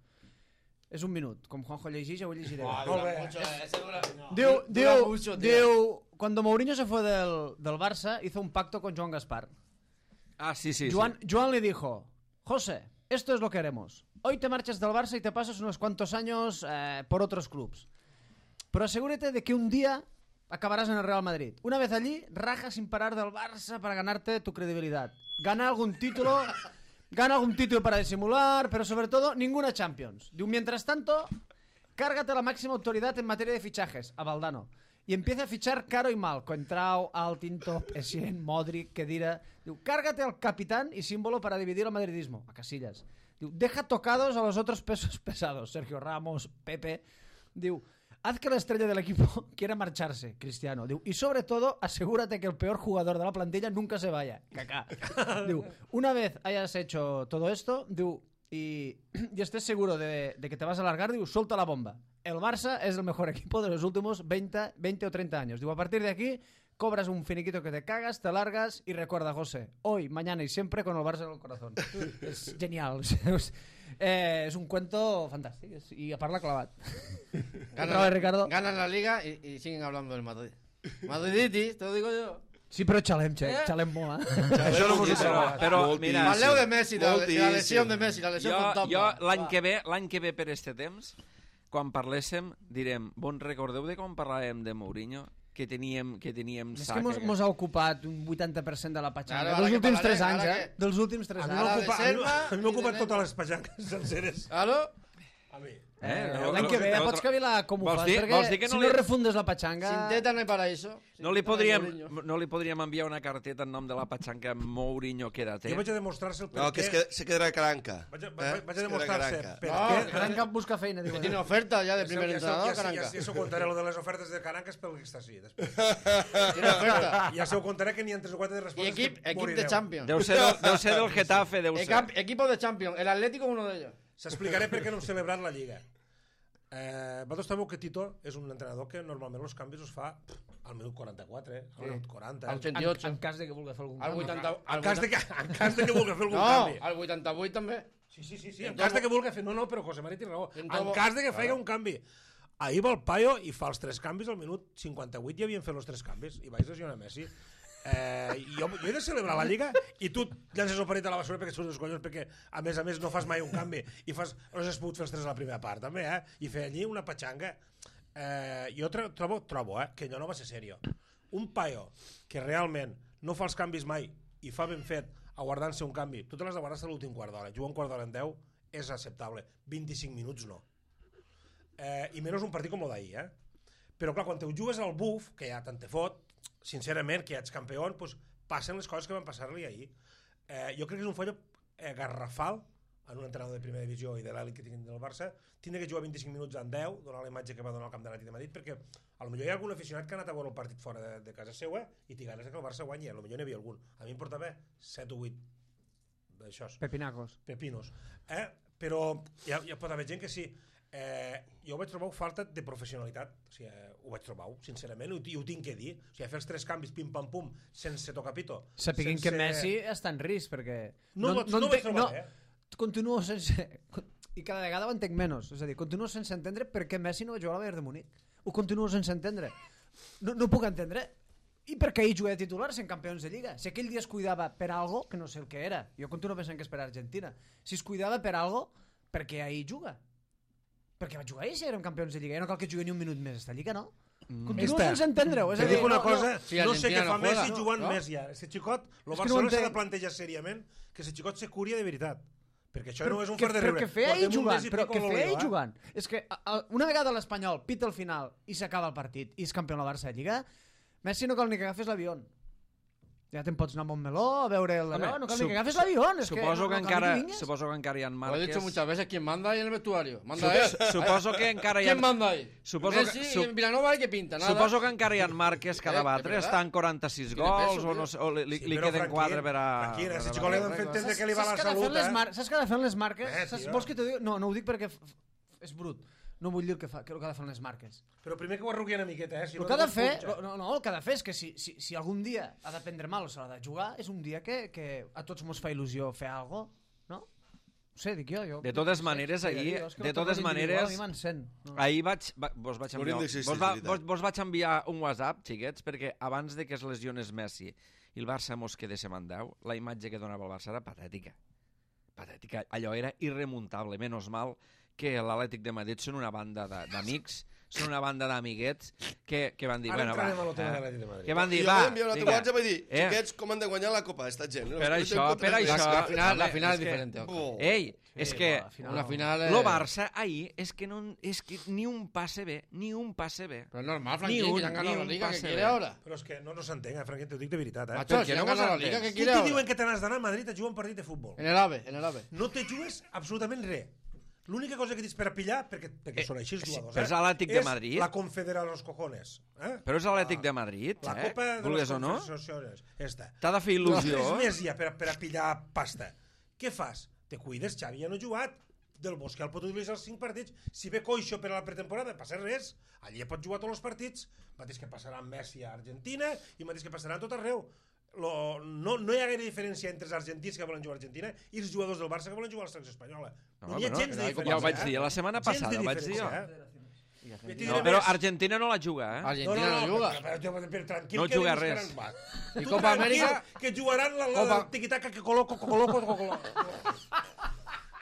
És un minut. Com Juanjo llegeix, jo ho llegiré. Molt bé. Diu, Dura diu, mucho, tío. diu, cuando Mourinho se fue del, del Barça, hizo un pacto con Joan Gaspar. Ah, sí, sí, Joan, sí. Joan le dijo, José, esto es lo que haremos. Hoy te marchas del Barça y te pasas unos cuantos años eh, por otros clubs. Pero asegúrate de que un día acabarás en el Real Madrid. Una vez allí, raja sin parar del Barça para ganarte tu credibilidad. Gana algún título, gana algún título para disimular, pero sobre todo, ninguna Champions. Diu, mientras tanto, cárgate la máxima autoridad en materia de fichajes, a Valdano. Y empieza a fichar caro y mal. Coentrao, Altintop, Essien, Modric, Kedira. Diu, cárgate al capitán y símbolo para dividir el madridismo, a Casillas. Diu, deja tocados a los otros pesos pesados, Sergio Ramos, Pepe. Diu, haz que la estrella del equipo quiera marcharse, Cristiano. Diu, y sobre todo, asegúrate que el peor jugador de la plantilla nunca se vaya, Kaká. Diu, una vez hayas hecho todo esto, diu, y, y estés seguro de, de que te vas a alargar, diu, suelta la bomba. El Barça es el mejor equipo de los últimos veinte, veinte o treinta años. Digo, a partir de aquí, cobras un finiquito que te cagas, te largas y recuerda, José, hoy, mañana y siempre con el Barça en el corazón. Es genial. Eh, es un cuento fantástico y a parla clavat. Otra Ganan, vez, Ricardo. ganan la liga y, y siguen hablando del Madrid. Madriditis, te lo digo yo. Sí, però xalem, xe, Eh? xalem molt, eh? Això no m'ho Sí, però, però mira, Parleu de Messi, de, la- de la Moltíssim. lesión de Messi, la lesión jo, fantasma. jo l'any Va. que ve, l'any que ve per este temps, quan parléssim, direm, bon recordeu de com parlàvem de Mourinho? Que teníem, que teníem És sac. que mos, aquell. mos ha ocupat un vuitanta per cent de la patxanga. Claro, ara dels que últims parlaré, tres anys, ara eh? que- Dels últims tres A mi anys. Ara m'ha ocupat, a mi- reserva a mi m'ha i ocupat de totes les pajanques senceres. Claro. A mi. Eh, L'any que ve ja pots cavilar com ho Vols fas, dir- perquè vols dir que no si li- no refundes la patxanga... Sin teta no hay paraíso. No li, podríem, no li podríem enviar una carteta en nom de la patxanca Mourinho, quédate. Jo vaig a demostrar-se el per No, que què... és que se quedarà caranca. Vaig a, Eh? vaig a Se quedarà demostrar-se caranca. per No, què... Caranca busca feina, Que diuen. tiene oferta ya de Ja primer ja, entrenador, ja, ja, Caranca. ja, ja s'ho contaré, lo de les ofertes de Caranca és pel que està així. Després. Tiene oferta. Ja s'ho contaré que n'hi ha tres o quatre de Y respostes equip, que equip de morireu. Champions. Deu ser, del, deu ser del Getafe, deu ser. Ecap- Equipo de Champions. El Atlético uno de ellos. S'explicaré per què no hem celebrat la Lliga. Eh, vosaltres sabeu que Tito és un entrenador que normalment els canvis els fa pff, al minut quaranta-quatre, eh? al minut quaranta. Al Eh? ochenta y En, ocho. en cas de que vulgui fer algun Al canvi. vuitanta... En al cas, de que, en cas de que vulgui fer algun No, canvi. al vuitanta-vuit també. Sí, sí, sí, sí. en En cas todo- de que vulgui fer... No, no, però José Mari té raó. En En todo- cas de que faci un canvi. Ahir va el Paio i fa els tres canvis al minut cinquanta-vuit i havien fet els tres canvis i vaig lesionar Messi. Eh, jo, jo he de celebrar la Lliga i tu llances el paret a la basura perquè surts dels collons, perquè a més a més no fas mai un canvi i fas, no has pogut fer els tres a la primera part també, eh? I fer allí una patxanga. Eh, jo tro- trobo, trobo eh, que allò no va ser serio. Un paio que realment no fa els canvis mai i fa ben fet aguardant-se un canvi, tu te l'has de guardar fins a l'últim quart d'hora, jugar un quart d'hora en deu és acceptable, vint-i-cinc minuts no. Eh, i menys un partit com el d'ahir, eh? Però clar, quan te ho jugues al buf, que ja tant te fot, sincerament, que ja ets campió, doncs passen les coses que van passar-li ahir. Eh, jo crec que és un fallo eh, garrafal en un entrenador de primera divisió i de l'elit que tinguin del Barça, tindre que jugar vint-i-cinc minuts en deu, donar la imatge que va donar al camp de l'Atlètic de Madrid, perquè a lo millor hi ha algun aficionat que ha anat a veure el partit fora de, de casa seva i té ganes que el Barça guanyi, a lo millor n'hi havia algun. A mi em portava set o vuit d'això, Pepinacos. pepinos. Eh? Però hi ha, hi ha, pot haver gent que sí. Eh, jo vaig trobar falta de professionalitat, o sigui, eh, ho vaig trobar, sincerament, i ho, i ho tinc que dir. O sigui, fer els tres canvis, pim-pam-pum, sense tocar pito. Sapiguin sense... que Messi està en risc, perquè... No, no, no, no vaig trobar, no, eh? Continuo sense... I cada vegada ho entenc menys. És a dir, continuo sense entendre per què Messi no va jugar a la Bayern de Múnich. Ho continuo sense entendre. No, no ho puc entendre. I per què ell juga de titular sent campions de Lliga? Si aquell dia es cuidava per algo, que no sé el que era. Jo continuo pensant que és per Argentina. Si es cuidava per algo, per què ahir juga? Perquè va jugar ahir si érem campions de Lliga. Ja no cal que jugui ni un minut més esta Lliga, no? Mm. Continuo Esta. sense entendre-ho. És Te a dir, dic una no, cosa, no. Si no, no sé Argentina què fa no juega, Messi jugant no? més ja. Este xicot, el És que no Barcelona s'ha entenc. de plantejar seriament que este xicot se curia de veritat. Perquè això Però no és un que, far de però riure. que fer ahir Portem un jugant, mes i però pico que amb fer l'Oleo, ahir eh? jugant. És que a, a, una vegada l'Espanyol pita al final i s'acaba el partit i és campió de la Barça de Lliga, Messi no cal ni que agafes l'avió. Ja te'n pots anar a Montmeló a veure el... Home, no cal sup- ni que agafes l'avió. És Suposo que, no, no cal encara, ni que vingues. suposo que encara hi ha Lo he marques... dicho muchas veces, ¿quién manda ahí en el vestuario? Manda él. Suposo que encara hi ha... ¿Quién manda ahí? Suposo Messi que- y sup- en Vilanova hay que pinta, nada. Suposo que encara hi ha marques que ha Eh, de batre, de verdad. estan quaranta-sis Tiene gols peso, o, no sé, o li, li, Sí, li però queden tranquil, quatre per a... tranquil, per si a xicot li batre. han fet entendre que li va la Saps que ha de fer salut, les eh? mar- Saps que ha de fer les marques? Eh, Saps, tio. vols que t'ho digui? No, no ho dic perquè f- f- és brut. No vull dir el que, fa, que el que ha de fer les marques. Però primer que ho arrugui una miqueta, eh? Si El no que ha de te'n fer, punxa. no, no, el que ha de fer és que si, si, si algun dia ha de prendre mal o s'ha de jugar, és un dia que, que a tots mos fa il·lusió fer alguna cosa, no? No sé, dic jo. jo De totes no sé, maneres, sí, ahir- jo, és que de el toc totes individual maneres, a mi m'encén, no? Ahir vaig, va, vos, vaig enviar, Hauríem d'existir, vos, va, és veritat. vos, vos vaig enviar un WhatsApp, xiquets, perquè abans de que es lesiones Messi i el Barça mos quedéssim en deu, la imatge que donava el Barça era patètica. Patètica. Allò era irremuntable. Menos mal que l'Atlètic de Madrid són una banda de- d'amics, són una banda d'amiguets que, que van dir... Ara bueno, entrarem a va, lo tema eh, de l'Atlètic de Madrid. que van I dir, jo va, vaig enviar un altre vinga. WhatsApp i dir, Eh? xiquets, com han de guanyar la Copa, esta gent? Per això, per això. La final, la Home, final és es que- diferente. ojo. Oh. Ei, és Sí, que... va, al final Una no. final es... Lo Barça ahir és que, no, és que ni un passe bé, ni un passe bé. Pero es normal, Ni Frankie, un- que ya han ganado ni la un liga, ¿qué pase quiere bé. ahora? Però és que no, no s'entén, eh, Franquín, t'ho dic de veritat, eh? Macho, ¿Por si qué han no ganado la vos liga, entens? ¿qué Tu quiere te ahora? diuen que te n'has d'anar a Madrid a jugar un partit de futbol. En el AVE, en el AVE. No te jugues absolutament res. L'única cosa que tens per a pillar, perquè, perquè Eh, són així els sí, jugadors, però és l'Atlètic de és Madrid. la Confederació dels cojones. Eh? Però és l'Atlètic de Madrid, La eh? Copa de les Vulgues o no? Confederacions. Esta. T'ha de fer il·lusió. No, és més ja per, a- per a pillar pasta. Què fas? Te cuides, Xavi ja no ha jugat. Del Bosque el pot utilitzar els cinc partits. Si ve coixo per a la pretemporada, no passa res. Allí pot jugar tots els partits. Mateix que passarà amb Messi a Argentina i mateix que passarà a tot arreu. Lo, no, no hi ha gaire diferència entre els argentins que volen jugar a Argentina i els jugadors del Barça que volen jugar a la selecció espanyola. No, No, hi ha però gens no, de ja diferència. ho vaig dir, la setmana Gens de passada ho vaig dir diferència, jo. eh? Ja t'hi No, diré però més. Argentina no la juga, eh? Argentina no, juga. Però, però, però, però, tranquil, No que juga buscaran- res. Va. I Tu Copa tranquil, Amèrica- que jugaran la, la, Copa- la tiquitaca que coloco, que coloco, que coloco.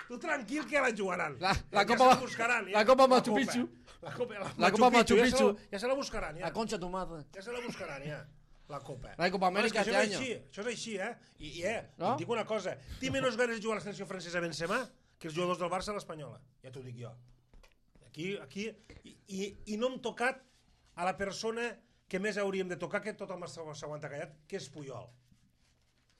Tu tranquil que la jugaran. La- Ja- la ja Copa- se la buscaran, la Copa Machu Copa. Picchu. La Copa, la La Copa Machu ja se la- Picchu. Ja se la buscaran, ja. La concha tu madre. Ja se la buscaran, ja. La Copa. No hay Copa Bueno, és que Amèrica això este és año. així, això és així, eh? I, i eh, No? et dic una cosa. Té menys ganes de jugar a la selecció francesa a Benzema que els jugadors del Barça a l'Espanyola. Ja t'ho dic jo. Aquí, aquí, i, i, i no hem tocat a la persona que més hauríem de tocar, que tothom s'aguanta callat, que és Puyol.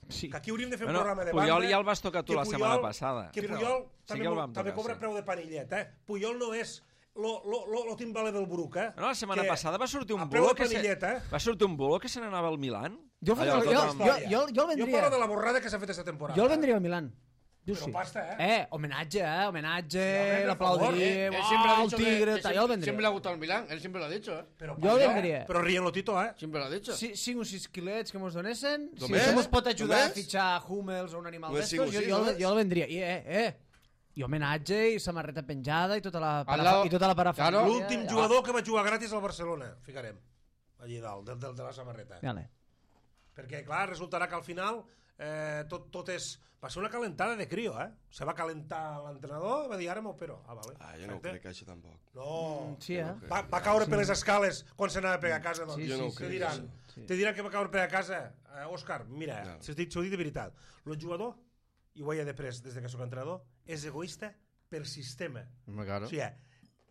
Sí. Que aquí hauríem de fer un Bueno, programa de Puyol banda... ja el vas tocar tu que la Puyol- setmana passada. Que Sí, Puyol sí també, que el mo- vam també tocar, cobra sí. preu de panillet, eh? Puyol no és lo, lo, lo, lo timbale del Bruc, eh? No, la setmana Que passada va sortir un a preu bulo de que se... panillet, eh? va sortir un bulo que se n'anava al Milan. Jo, jo, Allò, jo, tothom- jo, jo, jo el Jo vendria. parlo de la borrada que s'ha fet aquesta temporada. Jo el vendria al Milan. Jo Però sí. pasta, eh? Eh, homenatge, eh? Homenatge, Sí, home, per favor, l'aplaudiria, Él uau, siempre ha el dicho que- tigre, que tal, jo el siempre, vendria. siempre le ha gustado el Milán, él siempre lo ha dicho, ¿eh? Però Jo pasta, el eh? vendria. Però rient lo Tito, eh? Siempre lo ha dicho. Si, cinc o sis quilets que mos donessin, si Només? això mos pot ajudar Només? a fitxar Hummels o un animal Només d'estos, cinc o jo, sis, jo, el- només? jo el vendria. I, eh, eh, i homenatge, i samarreta penjada, i tota la, Al parafa, lado- i tota la parafàlia. Claro. L'últim jugador que va jugar gratis al Barcelona, ficarem, allí dalt, del, del, de la samarreta. Vale. Perquè, clar, resultarà que al final eh, tot, tot és... Va ser una calentada de crio, eh? Se va calentar l'entrenador i va dir, ara m'opero. Ah, vale. Ah, jo no ho perfecte. crec, això tampoc. No, Sí, eh? va, va caure per les escales quan s'anava a pegar a casa, doncs. Sí, Jo no ho sí, Te crec, diran, això. Sí. te diran que va caure per a casa. Eh, Òscar, mira, No. s'ho dic, s'ho dic de veritat. El jugador, i ho he après des de que soc entrenador, és egoista per sistema. Hombre, claro. O sigui,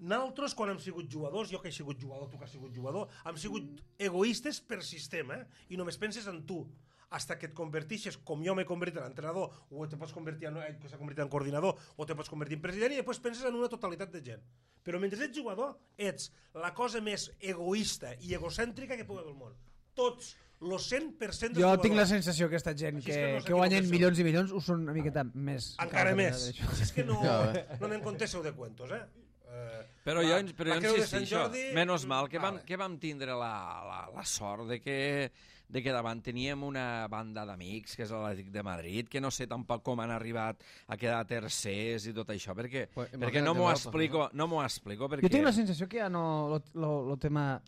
nosaltres, quan hem sigut jugadors, jo que he sigut jugador, tu que has sigut jugador, hem sigut egoistes per sistema, eh? I només penses en tu. Hasta que et convertixes, com jo m'he convertit en entrenador, o te pots convertir en, ell que s'ha convertit en coordinador, o te pots convertir en president, i després penses en una totalitat de gent. Però mentre ets jugador, ets la cosa més egoista i egocèntrica que pugui haver al món. Tots, el cent per cent dels Jo jugadors. tinc la sensació que aquesta gent Així és que, que no que guanyen s'equivoqueu. milions i milions ho són una miqueta més. Encara que més. altres, això. Així és que no, Ja, no anem conteseu de cuentos, eh? Eh, Però la- jo, però la jo creu de Sant insistixo, Jordi, menys mal que vam, vale. que vam tindre la, la, la sort de que, de que davant teníem una banda d'amics, que és l'Atlètic de Madrid, que no sé tampoc com han arribat a quedar tercers i tot això, perquè, Pues perquè no imagínate m'ho nosaltres, explico, no m'ho explico, perquè... Jo tinc la sensació que ja no... El tema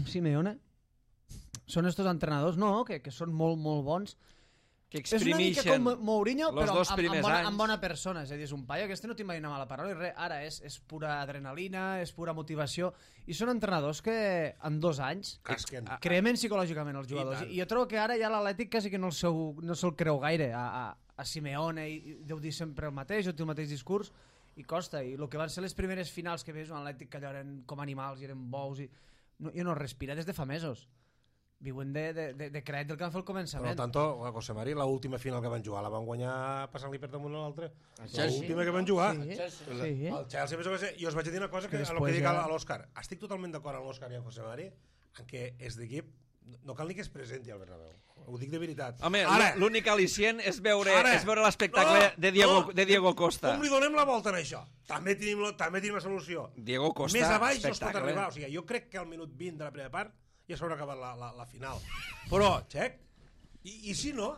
Simeone són estos entrenadors, no, que, que són molt, molt bons. que És una mica exprimixen com Mourinho, los però dos amb, amb, primers bona, anys. amb bona persona. És a dir, és un paio que este no t'imagina mala paraula i res. Ara és, és pura adrenalina, és pura motivació. I són entrenadors que en dos anys Casquen. cremen psicològicament els jugadors. tant. I, I jo trobo que ara ja l'Atlètic quasi que no, el seu, no se'l creu gaire a, a, a Simeone, i, i deu dir sempre el mateix, o té el mateix discurs, i costa. I el que van ser les primeres finals que veus un Atlètic que allò eren com animals i eren bous, i no, jo no respira des de fa mesos. Viuen de, de, de, de crèdit del que van fer al Per començament. tant, José Mari, l'última final que van jugar la van guanyar passant-li per damunt a l'altre. Chelsea. L'última que van jugar. Sí, Chelsea. sí. El Chelsea, més o menys, i us vaig dir una cosa que, Que a lo que després dic ja- a l'Òscar. Estic totalment d'acord amb l'Òscar i amb José Mari en què és d'equip, no cal ni que es presenti al Bernabéu. Ho dic de veritat. Home, Ara, l'únic al·licient és veure, Ara. és veure l'espectacle No, de, Diego, no. de Diego Costa. com li donem la volta en això? També tenim, la- també tenim la solució. Diego Costa, Més a baix no es pot espectacle. arribar. O sigui, jo crec que al minut vint de la primera part ja s'haurà acabat la, la, la final. Però, xec, i, i si no?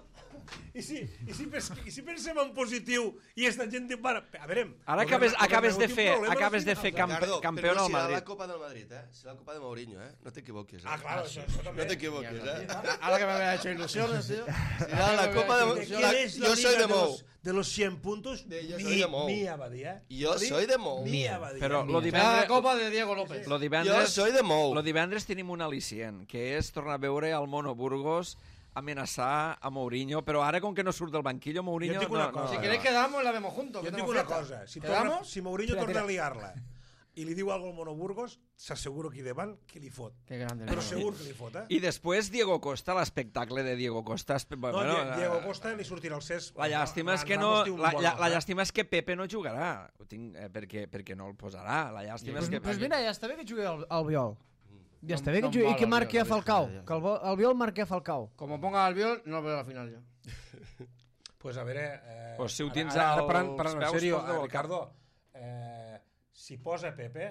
I si, i, si pens, I si pensem en positiu i esta gent diu, bueno, a veure... Ara el acabes, Bernabéu acabes de té un fer, problema a la acabes de final. fer camp, Ricardo, campió però al serà Madrid. la Copa del Madrid, eh? Serà la Copa de Mourinho, eh? No t'equivoquis, eh? Ah, claro, això, això també. No t'equivoquis, eh? Ahora que me había hecho ilusiones, tío. Serà la Copa de ¿De Mourinho. quién es la Yo soy liga de de Mou. los, de los cien puntos? De yo Mi- soy de Mou. Mía Badía. Yo soy de Mou. Mía Badía. Però lo Será la divendres, copa de Diego López. lo Jo divendres, soy de Mou. lo divendres tenim un al·licient, que és tornar a veure el Mono Burgos amenaçar a Mourinho, però ara com que no surt del banquillo, Mourinho... Jo et dic una no, cosa. no, Si no. queréis quedamos, la vemos juntos. Jo et que dic tenemos una fiesta. cosa, si, torna, ¿Quedamos? si Mourinho Tira, torna tira. a liar-la i li diu alguna al Mono Burgos, s'asseguro aquí davant que li fot. Qué grande. Però ¿no? segur que li fot, eh? I després Diego Costa, l'espectacle de Diego Costa... espe- No, bueno, Die- Diego eh, Costa li sortirà el cés. La llàstima és que no, Ramos té un la, bon la, la ojo, eh? llàstima és que Pepe no jugarà, ho tinc, eh, perquè, perquè no el posarà. La llàstima Pues, és que... pues mira, ja està bé que jugui al, al Viol. Ja està No- bé que no jugui i mal que el marqui a Viol, Falcao. ja. Que el, Vo- el Viol marqui a Falcao. Como ponga al Albiol, no veo la final yo. Pues a veure... Eh, Pues si ho ara- tens ara, ara, als parlant, parlant en peus, sèrio, posa-ho eh, al Ricardo, eh, si posa Pepe,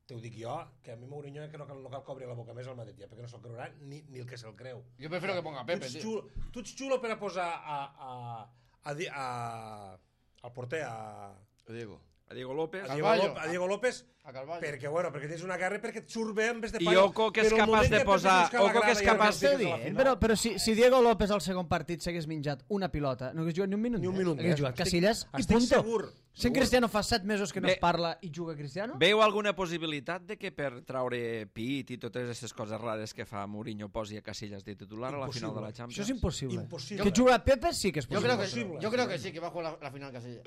te ho dic jo, que a mi Mourinho que no cal, no cal cobrir la boca més al Madrid, ja, perquè no se'l creurà ni, ni el que se'l creu. Yo prefiero que ponga a Pepe, tu ets tío. xulo, tu ets xulo per a posar a, a, a, di- a, al porter, a, Diego. A Diego López... a, Diego, Carballo. López, a Diego López, A Carvalho. perquè, bueno, perquè tens una guerra perquè et surt bé en vez de I paio. Oco, que és Però el capaç moment de que posar- penses que la Oco, que grada és ja capaç- no Està fiques a la dient, final. però, però si, si Diego López al segon partit s'hagués menjat una pilota, no hagués jugat ni un minut Ni un més. minut Hagués més. jugat Estic- Casillas i estic punto. segur, Si en segur. Cristiano fa set mesos que no Bé. es parla i juga Cristiano, Veu alguna possibilitat de que per traure pit i totes aquestes coses rares que fa Mourinho posi a Casillas de titular a la final de la això Champions? és impossible. Impossible. Que juga Pepe sí que és Yo possible. creo, que, Imposible. yo creo que sí, que va a jugar la, la final Casilla.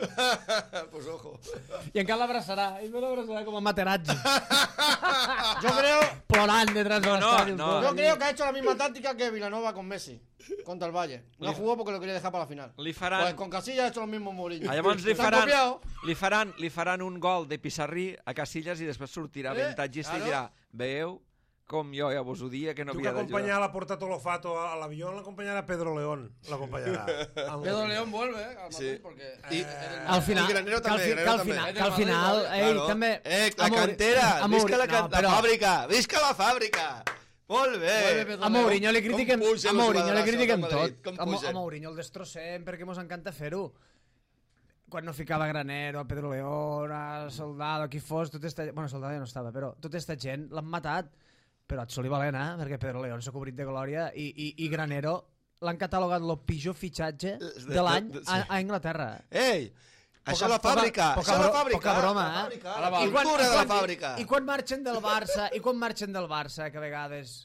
Pues ojo. I encara l'abraçarà. I me l'abraçarà com a Materazzi. Yo creo, Plorant detrás de No, no, l'estadi. no. yo creo que ha hecho la misma táctica que Vilanova con Messi contra el Valle. No Li- jugó porque lo quería dejar para la final. Li faran... Pues con Casillas ha hecho lo mismo Mourinho. Ah, llavors li Se han faran, copiado. li, faran, li faran un gol de Pissarrí a Casillas i després sortirà Eh, avantatgista i claro. dirà, veieu com jo ja vos ho dia que no Tu que havia acompanyar d'ajudar. la Porta Tolofato a l'avió l'acompanyarà Pedro León. L'acompanyarà. Pedro León vuelve eh, al Madrid Sí. porque... I, Al final, I Granero que al, també, fi, que Granero al també. final, És que al del Madrid, final, Madrid, ell Claro. també... Eh, la a Mouri- cantera, a visca Mouri- la, can... no, però la fàbrica, visca la fàbrica. Molt Vuelve bé. Pedro A Mourinho li Com critiquem, pugen a els Mourinho li jugadors critiquem del Madrid, tot. com A, Mo- pugen. a Mourinho el destrossem perquè mos encanta fer-ho. Quan no ficava Granero, a Pedro León, a Soldado, qui fos, tot esta... Bueno, Soldado ja no estava, però tota esta gent l'han matat. Però et soli valent, eh? Perquè Pedro León s'ha cobrit de glòria i, i, i Granero l'han catalogat el pitjor fitxatge de l'any a, a Anglaterra. Ei, això és la Poca- fàbrica, poca això és la bro- fàbrica. poca broma, la eh? fàbrica, A la la I quan, cultura i de la quan- fàbrica. I quan marxen del Barça, i quan marxen del Barça, que a vegades...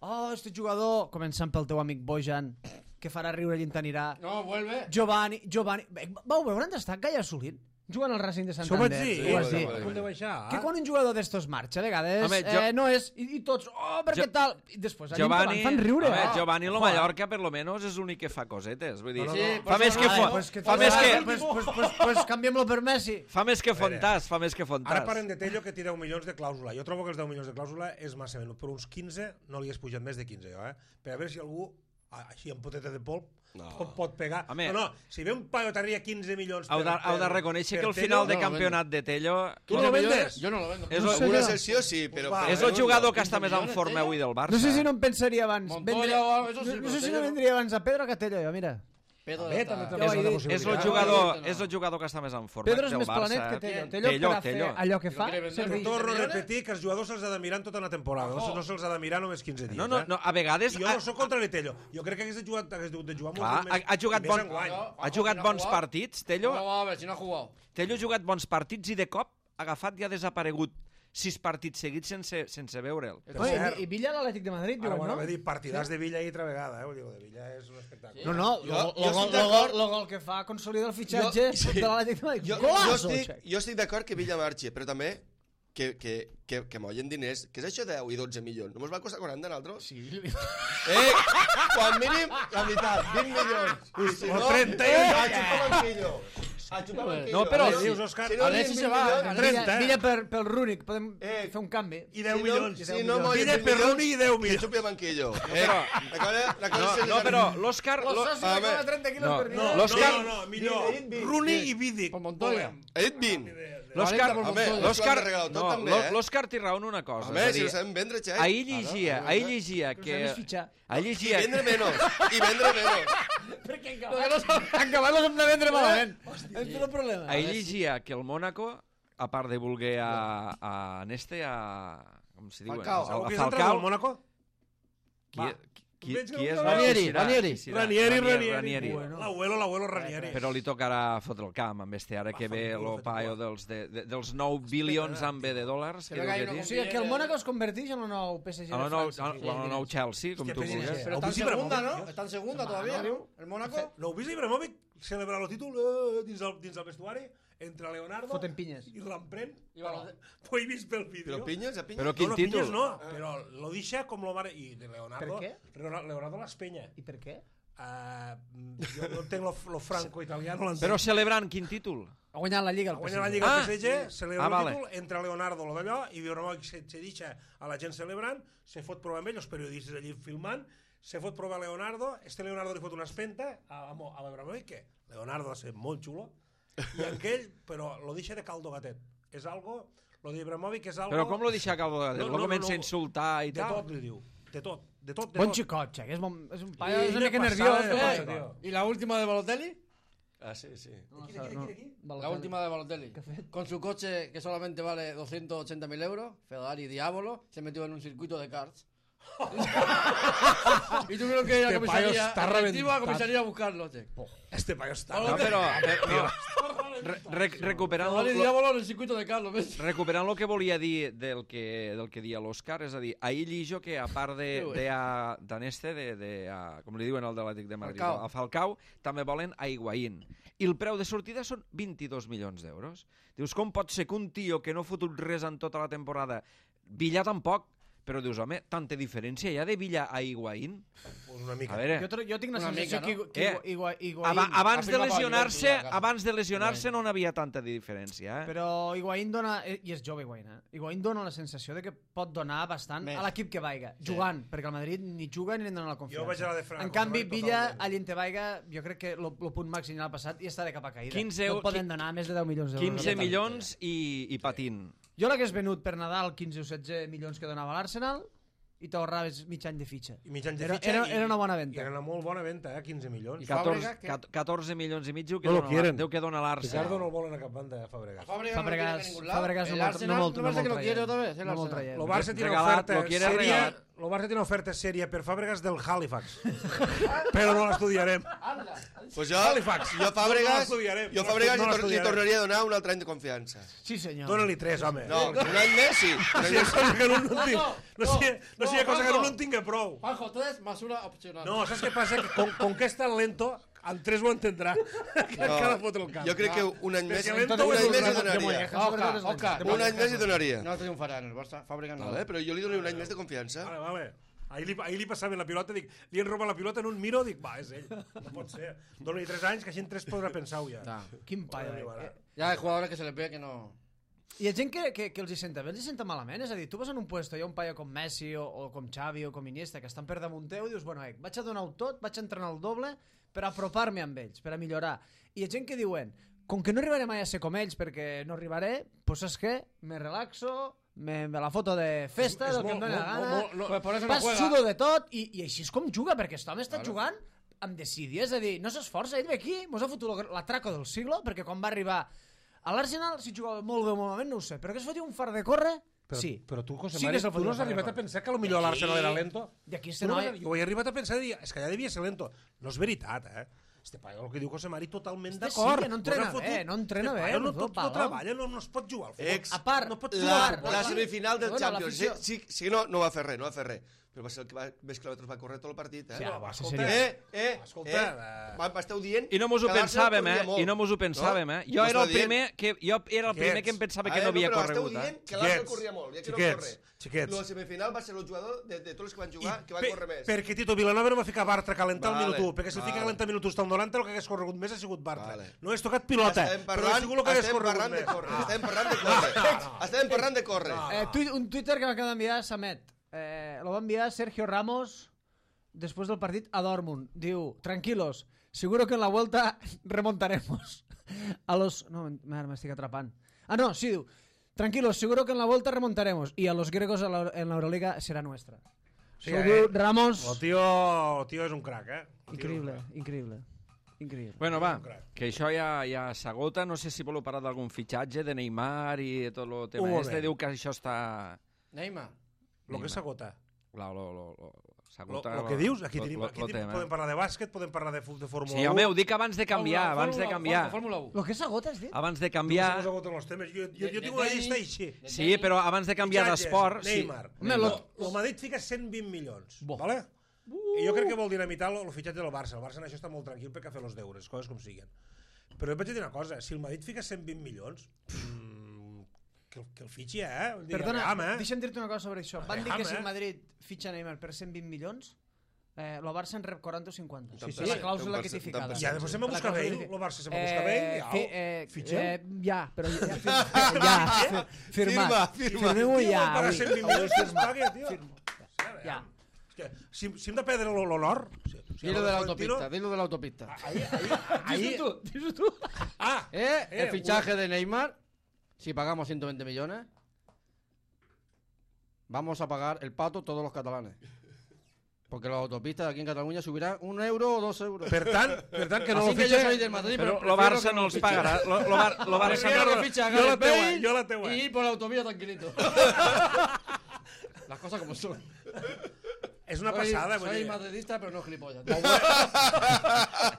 Oh, este jugador, començant pel teu amic Bojan, que farà riure i t'anirà. No, vuelve. Giovanni, Giovanni... Vau veure on està Gaia Solint? Jugant al Racing de Això ho vaig Santander. dir. Ho vas sí, dir. sí, A punt de baixar. Que quan un jugador d'estos marxa, a vegades, Home, jo- eh, no és... I, i tots, oh, per Jo- què tal? I després, allà Giovanni, fan riure. home, eh? Giovanni lo Joder. Mallorca per lo menos és l'únic que fa cosetes, vull dir, No, no, Sí, no. fa pues més que vale, fo- Pues que fa més que Pues, pues, pues, pues canviem-lo per Messi. fa més que Fontàs, fa més que Fontàs. Ara parlem de Tello, que té deu milions de clàusula. Jo trobo que els deu milions de clàusula és massa menut. Per uns quinze no li has pujat més de quinze, jo, eh? Per a veure si algú, ah, així amb poteta de polp, No. pot, pot pegar. Home. No, no, si ve un paio t'arriba quinze milions Heu per... de, heu de per- reconèixer per que el Tello, final de no lo campionat de Tello Tu no lo vendes? Yo no lo vendo. és, No el- sé. Una jo. excepció sí, però... Va, és però el no, jugador no. que està més en millones, forma Tello? avui del Barça. No sé si no em pensaria abans... Montoya vendre- o algo, eso sí, no, no pero sé si Tello- no vendria abans a Pedro que a Tello, jo, mira. Pedro Bé, está- també té Ja ho una he altra dit. És el possibilitat. jugador, no. és el jugador que està més en forma Pedro és del més Barça. planet que Tello. eh? Tello, Tello, per a fer Tello. allò que fa... quiere vender? serveix. Torno a millones? repetir que els jugadors se'ls ha de mirar en tota una temporada, no, no se'ls ha de mirar només quinze dies. No, no, eh? no, a vegades... I jo no sóc contra Tello. Jo crec que hagués de jugar, hagués de jugar Clar, molt ha, més, ha jugat, més bon, enguany. ha jugat no ha bons jugat. partits, Tello. No, vamos a ver, si no ha jugado. Tello ha jugat bons partits i de cop ha agafat i ha desaparegut sis partits seguits sense, sense veure'l. Oi, i, I Villa a l'Atlètic de Madrid, Ara, diuen, bueno, no? va dir partidars de Villa ahir altra vegada, eh? Vull dir, el de Villa és un espectacle. No, no, Jo- el jo gol, estic el d'acord. gol, el gol que fa consolida el fitxatge Jo- sí. de l'Atlètic de Madrid. Jo, jo Golazo, estic, Xec. jo estic d'acord que Villa marxi, però també que, que, que, que mollen diners. Què és això de deu i dotze milions? Només va costar quaranta a nosaltres? Sí. Eh, quan mínim, la meitat, vint milions. I si O no, trenta i eh, un. a xupar banquillo. A xupar banquillo. No, però- Eh, Dius, Òscar? si no, Alexis vint se va, milions, Alexis- Villa, trenta, eh? Villa per, pel Rúnic, podem Eh, fer un canvi. I deu si milions. No, i deu si no milions. mollen Villa vint per milions, Rooney i deu que milions. xupi el banquillo. Eh, però- la cosa, la cosa No, se no, li- però l'Òscar... Los lo- socios a de ver. trenta kilos No, per No, dia. no, L'Òscar- no, no, millor. Vint, vint, Rooney vint. i Vidic. Con Montoya. Ha dit vint. L'Òscar... Home, Home, L'Òscar... l'Òscar ha regalat tot No, també, l'Ò- eh? l'Òscar té raó en una cosa. Home, és a si dir, ho sabem vendre, xec. ahir llegia, ahir llegia Però que... sabem fitxar. Ahir I llegia... vendre menys. I vendre menys. Perquè acabar-los hem de vendre malament. És el problema. Ahir llegia que el Mónaco, a part de voler a, a Neste, a... Com se diu? Falcao. A, Algú a que és entrenador Falcao. del Mónaco? Qui, Va. qui, Veig que qui és? no- No, Ranieri, qui serà? Ranieri. Qui serà? Ranieri, Ranieri. Ranieri. Bueno. L'abuelo, l'abuelo Ranieri. Però li tocarà fotre el camp amb este, ara que ve lo paio dels, de, de, dels nou bilions amb B de dòlars. Que Que venga diu ahí que no diu. O sigui, que el Mónaco es converteix en el nou P S G A de la nou, França. a la nou Chelsea, com Hòstia, tu P S G. vulguis. Pero está en Obvisi segunda, Ibrahimovic. ¿no? Está en segunda todavía, ¿no? El Mónaco. L'heu vist Ibrahimovic celebrar el títol eh, dins, el, dins el vestuari entre Leonardo Foten pinyes. i l'emprèn? I Balotelli. Ho he vist pel vídeo. Però pinyes, a pinyes. Però quin no, no, títol? pinyes no, però lo deixa com lo mare... I de Leonardo... Per què? Leonardo, Leonardo l'espenya. I per què? Uh, jo no entenc lo, lo franco-italià, no l'entenc. Però celebrant quin títol? Ha guanyat la Lliga el Ha P S G. guanyat la Lliga Ah, ah, P S G, celebra ah, el vale. títol, entra Leonardo lo d'allò, i Ibrahimovic se, se deixa a la gent celebrant, se fot provar amb ell, els periodistes allí filmant, se fot provar a Leonardo, este Leonardo li fot una espenta a, a, a l'Ibrahimovic, que Leonardo va ser molt xulo, i aquell, però lo deixa de caldo gatet. És algo, lo d'Ibrahimovic és algo... Però com lo deixa Calvo de No, Lo no, no, comença a no. insultar i De tal? tot li diu, de tot, de tot, de Bon tot. xicot, Xec, és, bon, és un paio, I és una una mica passada nerviós. de eh? tot, tio. ¿Y la última de Balotelli? Ah, sí, sí. No, Aquí, no, aquí, no. aquí, aquí. La Balotelli. última de Balotelli. Con su coche que solamente vale doscientos ochenta mil euros, Ferrari Diabolo, se metió en un circuito de karts. y tuvieron que ir a Este paio comisaría, está a, reventat. a comisaría a buscarlo, che. Este paio està... No, però... però no. re, re, recuperant, Vale, lo, diámoslo en el circuito de Carlos, ¿ves? recuperant el que volia dir del que, del que dia l'Òscar, és a dir, ahir llijo que a part de, de, a, d'en este, de, de a, com li diuen el de l'Atlètic de Madrid, Falcao. a Falcao, també volen a Higuaín. I el preu de sortida són vint-i-dos milions d'euros. Dius, com pot ser que un tio que no ha fotut res en tota la temporada, Villa tampoc, però dius, home, tanta diferència hi ha de Villa a Higuaín? Pues una mica. A veure, Jo, tro- jo tinc la Una sensació mica, que, no? que Eh, Igua- Higuaín... aba, abans de Afirma per lesionar-se, Juventus, a casa. abans de lesionar-se no n'havia tanta diferència, eh? Però Higuaín dona... eh, I és jove Higuaín, eh? Higuaín dona la sensació de que pot donar bastant Més. a l'equip que vaiga, jugant, perquè el Madrid ni juga ni li dona la confiança. Jo vaig a la de Franco, en canvi, totalment. Villa, allà on te vaiga, jo crec que el punt màxim l'ha passat i està de cap a caïda. quinze no eu- et poden qui- donar més de deu milions d'euros. quinze milions i, i patint. Jo l'hagués venut per Nadal quinze o setze milions que donava l'Arsenal i t'ahorraves mig any de fitxa. I mig any de Era, fitxa era, i- era una bona venta. I era una molt bona venta, eh? quinze milions. I catorze, Fàbregas, què? cat- catorze milions i mig diu que No lo dona, quieren. deu que dona l'Arsenal. Ricardo no el volen a cap banda, eh, Fàbregas. Fábregas, Fábregas- no quiere ningún lado. Fábregas no El molt- Arsenal, no molt- no parece no que lo molt quiere traient. otra vez. El No molt Arsenal. traient. Lo Barça tiene Regalat, oferta lo quiere seria, regalat. lo Barça tiene oferta seria per Fàbregas del Halifax. Però no l'estudiarem. Pues jo, Halifax. jo Fàbregas, No l'estudiarem. jo No Fàbregas l'estu- no li, tor li l'estudiarem. tornaria a donar un altre any de confiança. Sí, senyor. Dóna-li tres, home. No, un any més sí. No sigui cosa que no, no, tinc, no, no, sigui, no sigui no, cosa que Juanjo. no en tinga prou. Juanjo, tres más una opcional. No, saps què passa? Que con, con que és tan lento, en tres ho entendrà. Que No, encara fotre el camp. jo crec que un any més, Perquè un lento any és més li un donaria. Oscar, Oscar. Un any més li donaria. No triunfarà en el Barça. Fábregas no. Vale, però jo li donaria un any més de confiança. Vale, vale. Ahir li, ahir li passaven la pilota, dic, li han robat la pilota en un miro, dic, va, és ell. No pot ser. Dóna-li tres anys, que així en tres podrà pensar-ho ja. Ya. Quin paio. Arribarà. Eh? Ya hay jugadores que se les ve que no... Hi ha gent que, que, que els hi senta bé, els hi senta malament. És a dir, tu vas en un puesto, hi ha un paio com Messi o, o com Xavi o com Iniesta que estan per damunt teu i dius, bueno, eh, vaig a donar-ho tot, vaig a entrenar el doble per apropar-me amb ells, per a millorar. I hi ha gent que diuen, com que no arribaré mai a ser com ells perquè no arribaré, doncs saps què? Me relaxo, me, me la foto de festa, És del que em molt- doni la molt- gana, molt- no, Pues por eso no pas juega. sudo de tot i, i així és com juga, perquè aquest home està jugant amb decidir, és a dir, no s'esforça, ell ve aquí, mos ha fotut l'atraco del siglo, perquè quan va arribar a l'Arsenal, si jugava molt bé o molt malament, no ho sé, però que es fotia un far de córrer, Però, sí. però tu, José Sí Mari, que se'l tu fotia no un has far de arribat a córrer. pensar que potser l'Arsenal era lento? I aquí Tu este no noi... has- Jo he arribat a pensar, dir, és que ja devia ser lento. No és veritat, eh? Este paio, el que diu José Mari, totalment Este sí, d'acord. que no Mos entrena ha fotut- bé, no entrena Este bé, paio No, no tot, fa, no no. treballa, no, no es pot jugar al futbol. Ex, A part, no pot La, jugar al futbol. la semifinal del Bueno, Champions. Sí, l'afició- sí, sí, no, no va fer res, no va fer res. Però va ser el que va, més quilòmetres va córrer tot el partit, eh? Sí, No, va, va, sí, escolta, seria. Eh, eh, Escolta, eh, eh. va- m'esteu dient I no mos ho que l'Arsenal pensàvem, eh? corria molt, I no mos ho pensàvem, eh? Jo Mos era ho el dient. primer que, jo era el primer Quiets. que em pensava Ah, que no havia però esteu corregut, eh? dient que l'Arsenal Xiquets, corria molt, i aquí no xiquets, corre. xiquets. La semifinal va ser el jugador de, de tots els que van jugar que va Pe- córrer més. Perquè Tito Vilanova no va ficar Bartra a calentar Vale, el minut u, perquè si el vale. fica a calentar el minut u està al noranta, el que hagués corregut més ha sigut Bartra. Vale. No hagués tocat pilota, Estem però ha parlant, sigut el que hagués estem corregut parlant de més. córrer. Estem parlant de córrer. Estem parlant de córrer. Eh, tu, un Twitter que m'acaba d'enviar Samet. Eh, lo va enviar Sergio Ramos después del partit a Dortmund. Diu, tranquilos, seguro que en la vuelta remontaremos. A los... No, me m'estic atrapant. Ah, no, sí, diu, tranquilos, seguro que en la vuelta remontaremos y a los griegos a la- en la Euroliga será nuestra. Sí, Això ho eh? diu Ramos. El tio, el tio és un crac, eh? El tio és un Increïble, crac. increïble. Increïble. Bueno, va, que això ja, ja s'agota. No sé si voleu parlar d'algun fitxatge de Neymar i tot el tema Un este. moment. Diu que això està... Neymar. Lo que s'agota. Lo, lo, lo, lo, Lo, s'agota lo que dius, aquí lo- tenim, lo- aquí lo tenim, tema. podem parlar de bàsquet, podem parlar de, fu- de Fórmula Sí, u. home, ho dic abans de canviar, Fórmula- abans de Fórmula- canviar. Fórmula u. Lo que s'agota, has dit? Abans de Tu canviar... us agoten els temes. Jo, jo, jo De- tinc una de llista tenis, així. de Sí, però abans de canviar Fitxatges, d'esport... Sí. Neymar. Home, Neymar. lo- El Madrid fica cent vint milions. Bo. Vale? I jo crec que vol dinamitar el, el fitxatge del Barça. El Barça en això està molt tranquil perquè ha fet els deures, coses com siguen. Però jo vaig dir una cosa, si el Madrid fica cent vint milions, mmm, que, el- que el fitxi, eh? Vull dir, Perdona, aviam, eh? deixa'm dir-te una cosa sobre això. Van dir Aviam, que si eh? el Madrid fitxa Neymar per cent vint milions, eh, el Barça en rep quaranta o cinquanta. Sí, sí. La clàusula Un que té per cent, ficada. un per I després se'm La busca clàusula ell, que té- el Barça se'm busca ell, ja, fi- eh, fitxem. eh, ja, però ja, ja, fir- ja, fir- firmat. Firma, firma. Firmem-ho Tio, ja. vol pagar avui. cent vint Avui milions que es firma. pagui, tio. Firmo. Ja. És que, si, si hem de perdre l'honor... Si, si Dilo el de la Florentino- autopista, dilo de la autopista. Ahí, ahí, ahí, Dis-ho tu, dis-ho tu. ah, Eh, Eh, el fichaje de Neymar, si pagamos ciento veinte millones, vamos a pagar el pato todos los catalanes. Porque las autopistas aquí en Cataluña subirán un euro o dos euros. per tant, per tant que no Así lo que yo soy fitxe... del Madrid, Però pero lo prefiero Barça que no els fiche. pagarà. Lo, lo, Bar- lo Barça Prefiero no... que fiche a Yo la Gareth tengo, Bale yo la tengo. y ir por la autovía tranquilito. Las cosas como son. és una passada. Soy, soy madridista, però no gilipollas.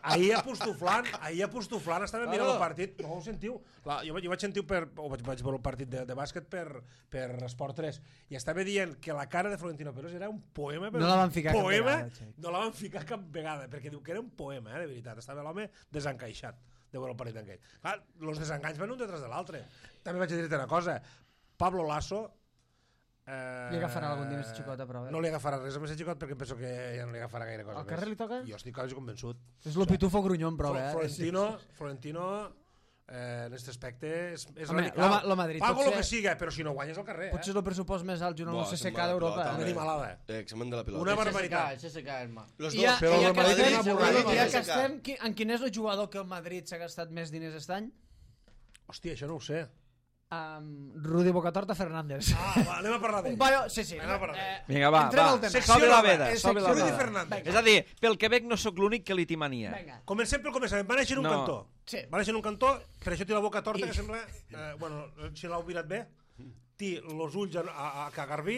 Ahir apostoflant, ahir apostoflant, estava mirant el partit, no ho sentiu? La, jo, jo vaig sentir per, o vaig, vaig veure el partit de, de bàsquet per, per Esport tres i estava dient que la cara de Florentino Pérez era un poema, però no la van ficar poema, cap vegada, no la van ficar cap vegada, perquè diu que era un poema, eh, de veritat, estava l'home desencaixat de veure el partit d'enquell. Clar, els desenganys van un detrás de l'altre. També vaig a dir-te una cosa, Pablo Lasso Eh, li agafarà algun dia a aquesta xicota, però... No li agafarà res a aquesta xicota perquè em penso que ja no li agafarà gaire cosa Al carrer li toca? Jo estic quasi convençut. És lo pitufo grunyon, però, eh? Florentino, Florentino eh, en aquest aspecte és, és Home, radical. lo, lo Madrid, Pago potser, el que siga, però si no guanyes al carrer, potser eh? el pressupost més alt junt amb Bo, el C S se'n K va de d'Europa. pilota, Una animalada. Eh, examen de la pilota. Una El barbaritat. C S K, Herma. Los I ja, dos. però i ja el que Madrid estem, és avorrit. ja que C S K. estem, qui- en quin és el jugador que el Madrid s'ha gastat més diners aquest any? Hòstia, això no ho sé. Um, Rudi Bocatorta Fernández. Ah, va, anem a parlar d'ell. Un paio... Sí, sí. Anem a parlar eh, Vinga, va, entrem va. al tema. Secció Sobe la nova. veda, Eh, sobe la secció Rudi veda. Fernández. És a dir, pel Quebec no sóc l'únic que li té mania. Vinga. Comencem pel començament. Va néixer en un No. cantó. Sí. Va néixer en un cantó, per això té la boca torta, que sembla... Eh, bueno, si l'heu mirat bé, té els ulls a, a, a Cagarbí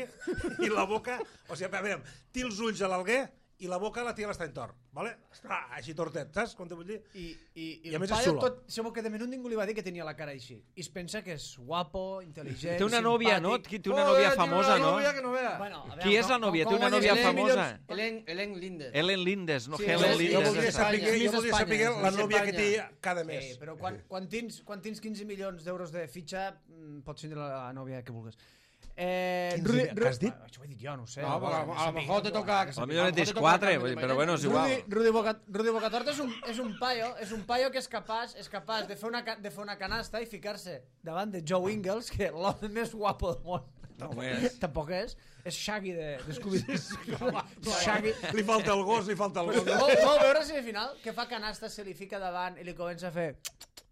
i la boca... O sigui, a veure, té els ulls a l'Alguer i la boca la té a l'Estany Tor, ¿vale? Està així tortet, saps com te vull dir? I, i, i, I a el més és paio xulo. tot, segur que de menut ningú li va dir que tenia la cara així. I es pensa que és guapo, intel·ligent, Té una nòvia, no? simpàtic. Té una nòvia famosa, no? Una nòvia que no vea. Bueno, a veure, Qui és la com- nòvia? com- Té una com nòvia guanyes famosa. milions- Helen, Helen Lindes. Ellen Lindes, no Sí, Helen jo- Jo Lindes. voldria Espanya. saber, jo Miss voldria Espanya. saber la Miss nòvia que té Espanya. cada Eh, mes. però quan, quan, tens, quan tens quinze milions d'euros de fitxa, mm, pots tindre la, la nòvia que vulguis. Eh, quinze, Rudi- què has dit? Ah, això ho he dit jo, no ho sé. No, però a, a lo mejor te toca... A lo millor en tens quatre, vull dir, però bueno, és igual. Rudi, Rudi, Boca, Rudi Bocatorta és un, és un paio, és un paio que és capaç, és capaç de fer una, ca- de fer una canasta i ficar-se davant de Joe Ingles, que l'home més guapo del món. No és. Tampoc és. És Shaggy de, de Scooby-Doo. Shaggy. Li falta el gos, li falta el gos. Vol, vol veure si al final que fa canasta se li fica davant i li comença a fer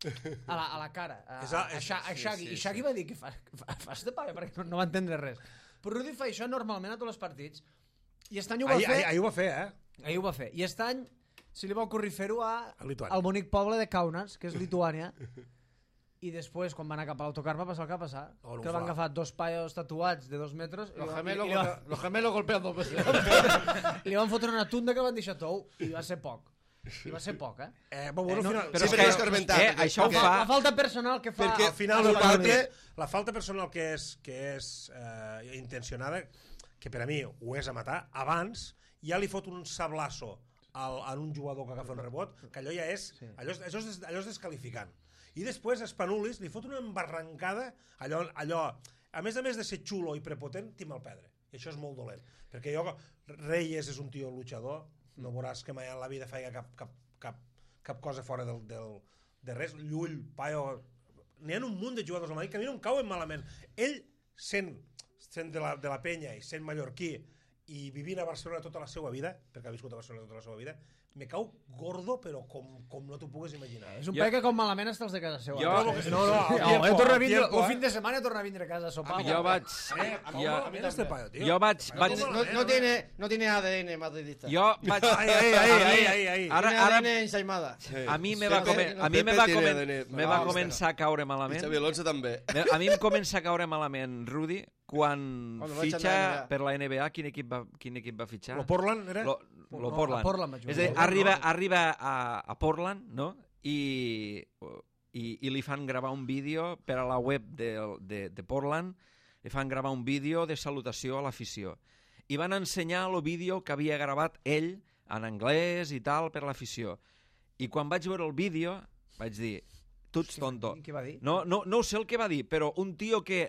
a la, a la cara a, És a- a, a, Sha- a Shaggy. I Shaggy va dir que fa, fa, fa este paio perquè no, no va entendre res. Però Rudi fa això normalment a tots els partits i aquest any ho va Ahir, fer. ahir, ahir ho va fer, eh? Ahir ho va fer. I aquest any se li va ocorrir fer-ho a, A Lituània. al bonic poble de Kaunas, que és Lituània. I després, quan va anar cap a l'autocar, va passar el que va passar. Oh, no que ho van fa. agafar dos paios tatuats de dos metres i, Los li- gemelos, i, li, golpea- los gemelos golpean dos veces. van, li van fotre una tunda que van deixar tou i va ser poc. I va ser poc, eh? Eh, bon, bueno, Eh, no, al final, però sí, és que perquè- és escarmentat, Eh, perquè- això ho perquè- fa... La falta personal que fa... Perquè al final el del partit, l'altre- la falta personal que és, que és eh, intencionada, que per a mi ho és a matar, abans ja li fot un sablasso al, a un jugador que agafa un rebot, que allò ja és, Sí. allò, és- allò, és, allò és descalificant. I després Spanulis li fot una embarrancada, allò, allò, a més a més de ser xulo i prepotent, té mal pedre. I això és molt dolent. Perquè jo, Reyes és un tio luchador, no veuràs que mai en la vida feia cap, cap, cap, cap cosa fora del, del, de res. Llull, Paio... N'hi ha un munt de jugadors al Madrid que a mi no em cauen malament. Ell, sent, sent de, la, de la penya i sent mallorquí i vivint a Barcelona tota la seva vida, perquè ha viscut a Barcelona tota la seva vida, me cau gordo, però com, com no t'ho puguis imaginar. És un Jo- paio que com malament està els de casa seva. Jo- No, no, al No, tiempo, jo torno a al vindre, tiempo, el eh? fin de setmana torna a vindre a casa a sopar. Jo vaig... Eh, Jo, jo, mira este paio, tio. jo vaig... vaig No, no, tiene, no tiene A D N madridista. jo vaig... Ai, ai, ai, a mi- ai, ai, ai. Ara, Tiene ara, A D N ensaimada. Sí. a mi me Pepe- va, come, a mi me Pepe va, tiene comen, A D N. me va No, començar a caure I malament. Xavi Alonso també. Me- A mi em comença a caure malament Rudi quan Quan vaig fitxa anar a N B A. per la N B A. Quin equip va, quin equip va fitxar? Lo Portland era? Lo, lo No, Portland. a Portland va jugar. És a dir, Portland, arriba, no? arriba a, a Portland, no? I, i, i li fan gravar un vídeo per a la web de, de, de Portland, li fan gravar un vídeo de salutació a l'afició. I van ensenyar el vídeo que havia gravat ell en anglès i tal per l'afició. I quan vaig veure el vídeo vaig dir, tu ets tonto. Què va dir? No, no, no ho sé el que va dir, però un tio que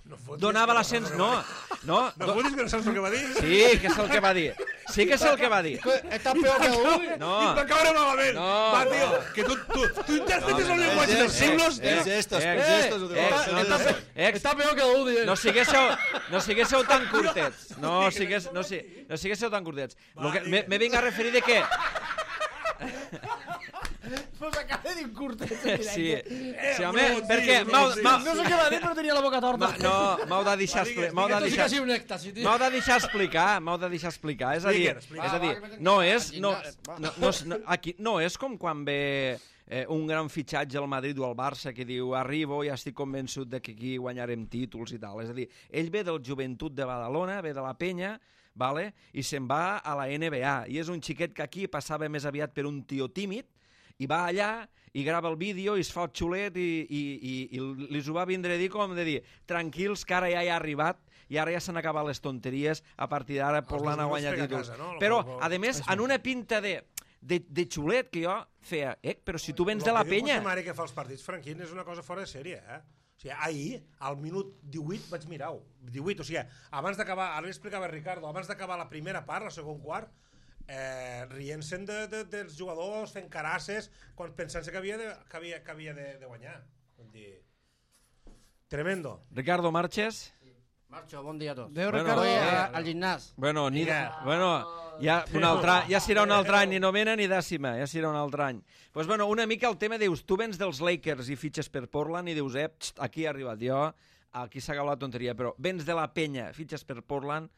No fotis donava que la no sens... saps No, el que no, va dir. No fotis que no saps el que va dir. sí, que és el que va dir. Sí que és el que va dir. Estás peor que Udi. No, I va caure malament. No, Va, no. tio, que tu, tu, tu interpretes No, el no, llenguatge no, dels eh, signos, eh, tio. Els gestos, Eh, els gestos ho eh, diuen. no, no, no, ex, Está peor que Udi. no siguéssiu, no siguéssiu tan curtets. No, sigués, no, si, no siguéssiu tan curtets. Lo que, me, me vinc a referir de que... Pues acaba de dir un curtet. Sí, sí, home, no, perquè sí, m'heu sí, m'heu- No sé què va dir, però tenia la boca torta. m'ha- no, m'heu de deixar expli- m'heu de Esto sí que deixar ha sido un éxtasis, tío. m'heu de deixar explicar, m'heu de deixar explicar, és a dir, Explica, explica. és a dir, Va, va, que no m'he és, no, al gimnàs, va. no, no, és- no, aquí, no és com quan ve eh, un gran fitxatge al Madrid o al Barça que diu arribo i ja estic convençut de que aquí guanyarem títols i tal. És a dir, ell ve del Joventut de Badalona, ve de la Penya, vale? I se'n va a la N B A. I és un xiquet que aquí passava més aviat per un tio tímid, i va allà i grava el vídeo i es fa el xulet i, i, i, i li ho va vindre a dir com de dir tranquils que ara ja hi ha arribat i ara ja s'han acabat les tonteries, a partir d'ara Portland ha guanyat títols. No? Però, a més, en una pinta de, de, de xulet que jo feia, eh, però si tu vens de la Penya... El que diu que fa els partits, Franquín, és una cosa fora de sèrie, eh? O sigui, ahir, al minut divuit, vaig mirar-ho. divuit, o sigui, abans d'acabar, ara li explicava Ricardo, abans d'acabar la primera part, el segon quart, eh, rient-se'n de, de, dels jugadors, fent carasses, quan pensant-se que havia de, que havia, que havia de, de guanyar. Vull dir... Tremendo. Ricardo Marches. Marxo, bon dia a tots. Adéu, Bueno, Ricardo. Voy eh, a- al gimnàs. Bueno, ni, Mira. bueno ja, un altre, ja serà un altre any, ni novena ni dècima, ja serà un altre any. Pues bueno, una mica el tema, dius, tu vens dels Lakers i fitxes per Portland i dius, eh, xt, aquí he arribat jo, aquí s'ha acabat la tonteria, però vens de la Penya, fitxes per Portland,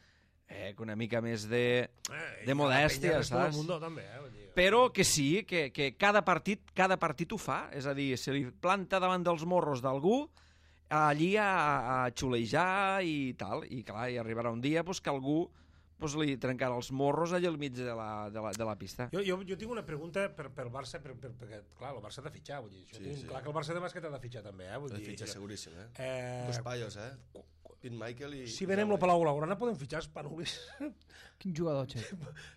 eh, que una mica més de, de modèstia, saps? Mundo, també, eh? Vull dir... Però que sí, que, que cada partit cada partit ho fa, és a dir, se li planta davant dels morros d'algú, allí a, a xulejar i tal, i clar, i arribarà un dia pues, que algú pues, li trencarà els morros allà al mig de la, de la, de la pista. Jo, jo, jo tinc una pregunta per, pel Barça, per, per, perquè, clar, el Barça ha de fitxar, vull dir, això Sí, tinc sí. clar que el Barça de bàsquet ha de fitxar també, eh? Vull El dir, fitxa seguríssim, eh? eh, Dos paios, eh? Pete Michael i... si venem lo Palau Blaugrana podem fitxar Spanulis. Quin jugador, Che.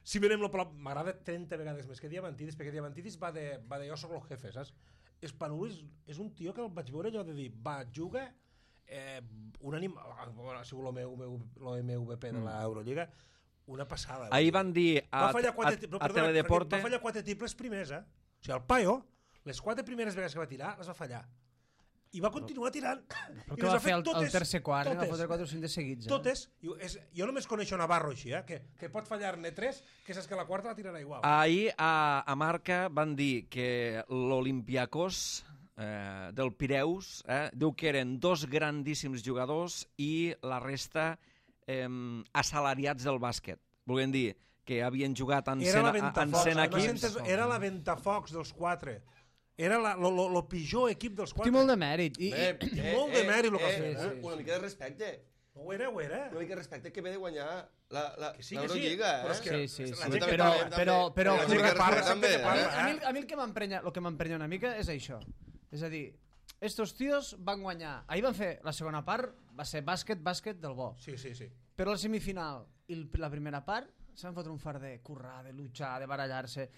Si venem lo Palau... M'agrada trenta vegades més que Diamantidis, perquè Diamantidis va de, va de jo soc el jefe, saps? Spanulis és un tio que el vaig veure allò de dir, va, juga eh, un anim... ha sigut l'O M V P de l'Eurolliga, una passada. Ahir van dir a, va fallar a, quatre, a, però, a perdona, Teledeporte... va fallar quatre triples primers, eh? O sigui, el paio, les quatre primeres vegades que va tirar, les va fallar. I va continuar tirant. Però I què les va ha fer fet el, totes. el tercer quart? Va totes. fotre quatre o cinc de seguits. Eh? Totes. Jo, és, jo només coneixo Navarro així, eh? que, que pot fallar-ne tres, que saps que la quarta la tirarà igual. Ahir a, a Marca van dir que l'Olimpiakos eh, del Pireus eh, diu que eren dos grandíssims jugadors i la resta eh, assalariats del bàsquet. Volien dir que havien jugat en Era la cent, en Ventafocs. cent Además, equips. entes- Era la Ventafocs dels quatre. Era la, lo, lo, lo pitjor equip dels Té quatre. molt de mèrit. I, Eh, i, eh, molt de eh, mèrit lo que ha eh, fet, eh? Una mica de respecte. Ho era, ho era. Una mica de respecte que ve de guanyar la, la, Que sí, que sí. l'Eurolliga, Però eh? és que Sí, sí, la sí. gent que Però, parla, però, però, La la gent gent que que parla, respecta sempre que també, parla, a, mi, eh? a mi el que m'emprenya el que m'emprenya una mica és això. És a dir, estos tios van guanyar. Ahir van fer la segona part, va ser bàsquet, bàsquet del bo. Sí, sí, sí. Però la semifinal i el- la primera part se van fotre un far de currar, de luchar, de barallar-se.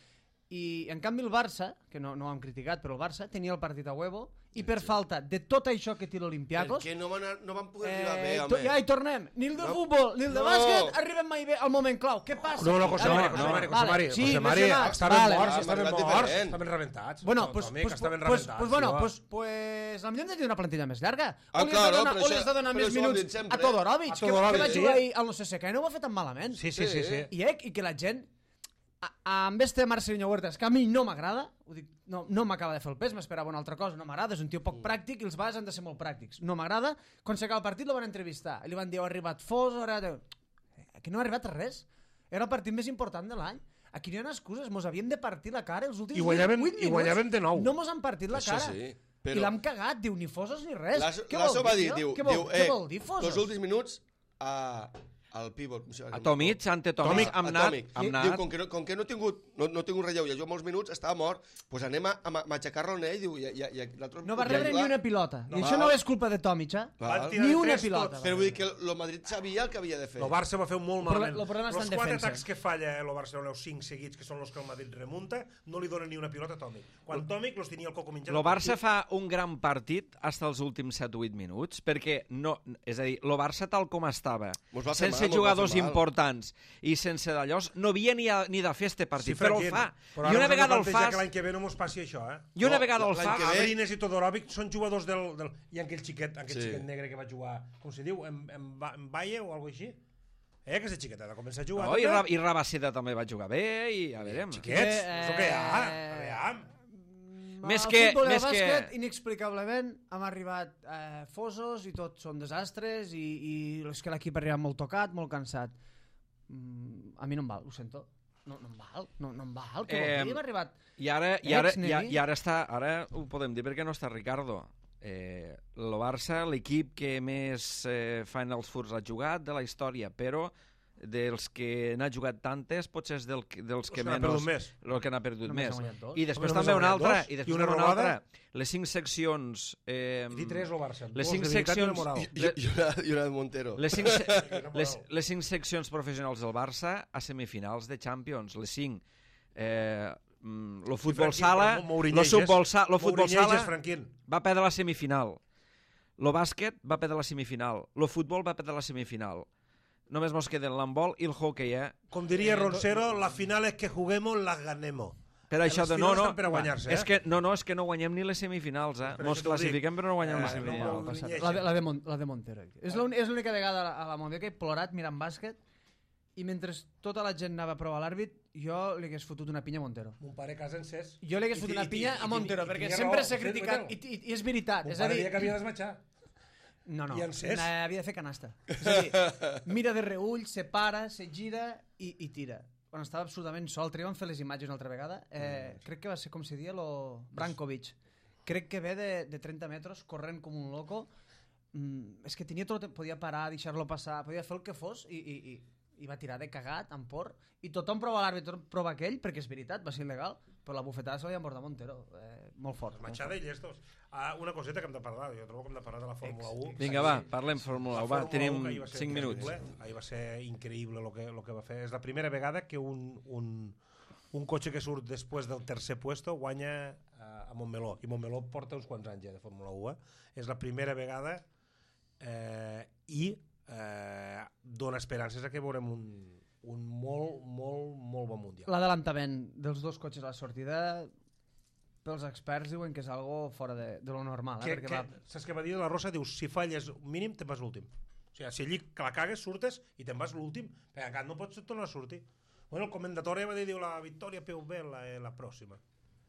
I en canvi el Barça, que no, no ho hem criticat, però el Barça tenia el partit a huevo i per falta de tot això que té l'Olimpiakos... Que no van, a- no van poder arribar bé, Eh, home. to, ja hi tornem. Ni el de No. futbol, ni el de No. bàsquet arribem mai bé al moment clau. Què passa? No, no, José Ara- Mari, José Mari, José Mari, Sí, José Mari, lesionats. estaven Vale. morts, Ah, estaven m'ha agradat morts, diferent. estaven rebentats. Bueno, No, pues, Tomi, pues, que estaven pues, rebentats, pues, bueno, tio. pues, pues, potser hem de tenir una plantilla més llarga. Ah, o li has claro, de donar, però o li has de això- donar però més això ho hem dit minuts sempre, a Todorovic, A que, Todorovic, que va sí. jugar ahir al C S K i no ho va fer tan malament. Sí, sí, sí, sí. I, eh, i que la gent a- amb este Marcelinho Huertas, que a mi no m'agrada, ho dic, no, no m'acaba de fer el pes, m'esperava una altra cosa, no m'agrada, és un tio poc pràctic i els bases han de ser molt pràctics. No m'agrada, quan s'acaba el partit lo van entrevistar, i li van dir, ha arribat Fos, ara... Aquí no ha arribat res, era el partit més important de l'any. Aquí no hi ha excuses, mos havíem de partir la cara els últims I guanyàvem- vuit i minuts. guanyàvem de nou. No mos han partit la Això cara. sí, I però- l'hem cagat, diu, ni Fosos ni res. Lasso, Què Lasso vol va dir, dir, tio? diu, Què vol, diu, què eh, vol dir, Fosos? els últims minuts a, al pivot. com se llama? A Tomic, ante Tomic, Tomic, amb a Nat, Tomic. amb Diu, Nat. com que no, com que no he tingut, no, no he tingut relleu, ja juga molts minuts, estava mort, doncs anem a, a ma- matxacar-lo en ell, diu, i, i, i l'altre... No va podria rebre ni jugar. una pilota. I No, això val. no és culpa de Tomic, eh? Val. Van tirar Ni de una tres pilota. tots. Però vull dir que el Madrid sabia el que havia de fer. El Barça va fer molt Però malament. el problema està Els en quatre defensa. atacs que falla el Barcelona, els cinc seguits, que són els que el Madrid remunta, no li donen ni una pilota a Tomic. Quan Tomic los tenia el coco menjat... El Barça fa un gran partit fins als últims set o vuit minuts, perquè, no, és a dir, el Barça tal com estava, Mos va fer sense mal, mos va jugadors fer mal. importants i sense d'allò, no havia ni, a, ni de fer este partit, però el Franquín, fa. però I ara una us heu de vegada el plantejar fas, que l'any que ve no mos passi això, eh? i una No, vegada el l'any fa, que ve- Abrines i Todorovic són jugadors del... del i aquell xiquet, aquell Sí. xiquet negre que va jugar, com se diu, en, en, Ba- en Valle o alguna així? Eh, que és xiquet, ha de començar a jugar. no, i, també. Ra- i Rabaseda també va jugar bé, i ja veurem. Xiquets, Eh, és el que hi ha. eh, Aviam. Més Al que- futbol i al més que- bàsquet, inexplicablement, hem arribat eh, fosos i tots són desastres i, i és que l'equip ha arribat molt tocat, molt cansat. Mm, a mi no em val, ho sento. no, no em val, no, no em val, que Eh, vol dir, hem arribat... I ara, i, ara, Ex-Neri. i, ara, I ara està, ara ho podem dir perquè no està Ricardo. Eh, el Barça, l'equip que més eh, Finals Fours ha jugat de la història, però dels que n'ha jugat tantes, potser és del, dels que Els que n'ha menys... perdut més. El que n'ha perdut Només més. ha guanyat dos. I després Només també ha una guanyat altra. dos I i després una una robada. altra. Les cinc seccions... Eh, I tres el Barça. les Dos cinc de veritat i una seccions- moral. I, i, i, una, i una de Montero. les, cinc, se- no les, podeu. les cinc seccions professionals del Barça a semifinals de Champions. Les cinc... Eh, mm, lo futbol Franquín, sala, però Mourinho lo és- futbol, sa, lo futbol Mourinho sala és Franquín. va perdre la semifinal. Lo bàsquet va perdre la semifinal. Lo futbol va perdre la semifinal. Només mos queden l'handbol i el hockey, eh? Com diria Roncero, las finales que juguemos las ganemos. Per això les de no, finals no, estan per a guanyar-se, eh? és que no, no, és que no guanyem ni les semifinals, eh? Per Mos això t'ho classifiquem però no guanyem Eh, les no, semifinals. no, Passat. llegeixen. La, de, la, de Mon, la de Montero. És l'única és l'única vegada a la, a la Mundial que he plorat mirant bàsquet i mentre tota la gent anava a provar l'àrbit, jo li hagués fotut una pinya a Montero. Mon pare a casa encès. Jo li hagués I fotut ti- una i ti- pinya i a ti- Montero, i perquè tenia sempre raó, s'ha sí, criticat, i, veritat. i, i és veritat. Mon És a pare dir, deia que havia d'esmatxar. no, no, i encès. havia de fer canasta. És a dir, mira de reull, se para, se gira i, i tira. Quan estava absolutament sol, també vam fer les imatges una altra vegada, eh, crec que va ser com se dia lo Brankovic. Crec que ve de, de trenta metres corrent com un loco. Mm, és que tenia tot, podia parar, deixar-lo passar, podia fer el que fos i, i, i, i va tirar de cagat, amb por, i tothom prova l'àrbit, tothom prova aquell, perquè és veritat, va ser il·legal, però la bufetada se l'havia emportat Montero, eh, molt fort. molt Esmatxada i llestos. Ah, una coseta que hem de parlar, jo trobo que hem de parlar de la Fórmula un. Vinga, va, parlem Fórmula La u. Va, Fórmula tenim un, que ahir va ser cinc minuts. increïble. Ahir va ser increïble el que, lo que va fer. És la primera vegada que un, un, un cotxe que surt després del tercer puesto guanya a, a Montmeló. I Montmeló porta uns quants anys ja de Fórmula un. Eh? És la primera vegada eh, i eh, dona esperances a que veurem un, un molt, molt, molt bon mundial. L'adelantament dels dos cotxes a la sortida, pels experts diuen que és algo fora de, de lo normal. Eh? Que, Perquè que, va... saps què va dir la Rosa? Diu, si falles mínim, te'n vas l'últim. O sigui, si allí que la cagues, surtes i te'n vas l'últim, perquè encara no pots tornar a sortir. Bueno, el commendatore va dir, diu, la victòria P V la, eh, la pròxima.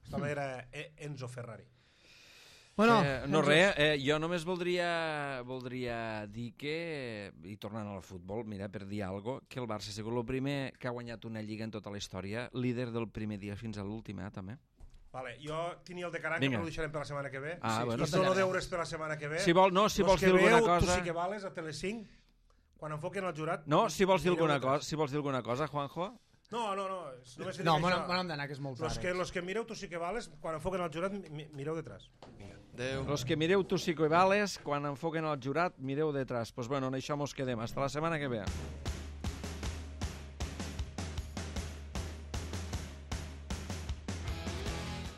Estava era eh, Enzo Ferrari. Bueno, Eh, no res, eh, jo només voldria, voldria dir que, i tornant al futbol, mira, per dir alguna cosa, que el Barça ha sigut el primer que ha guanyat una lliga en tota la història, líder del primer dia fins a l'últim, eh, també. Vale, jo tenia el de Caranca, Vinga. però ho deixarem per la setmana que ve. Ah, sí, bueno, I solo està deures per la setmana que ve. Si vol, no, si Los vols que dir alguna veieu, cosa... Tu sí que vales a Telecinc, quan enfoquen el jurat... No, si vols dir mireu alguna detrás. cosa, si vols dir alguna cosa, Juanjo. No, no, no. és- Només que no, dic me això. n'hem d'anar, que és molt Los tard. que, los que mireu, tu sí que vales, quan enfoquen el jurat, mi- mireu detrás. Adéu. Los que mireu tu sí que vales, quan enfoquen el jurat, mireu detrás. Pues bueno, en això mos quedem. Hasta la setmana que ve.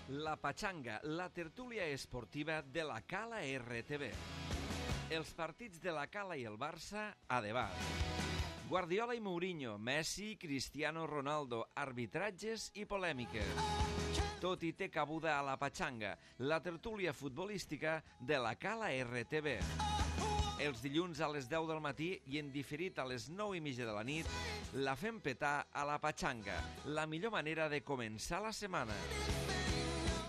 La Pachanga, la tertúlia esportiva de la Cala R T V. Els partits de la Cala i el Barça a debat. Guardiola i Mourinho, Messi, Cristiano Ronaldo, arbitratges i polèmiques. Tot hi té cabuda a la Pachanga, la tertúlia futbolística de la Cala R T V. Els dilluns a les deu del matí i en diferit a les nou i mitja de la nit, la fem petar a la Pachanga, la millor manera de començar la setmana.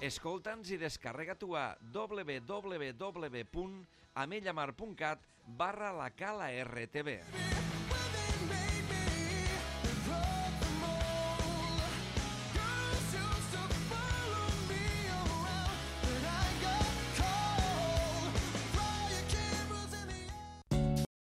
Escolta'ns i descarrega-t'ho a w w w punt amellamar punt cat barra la Cala R T V.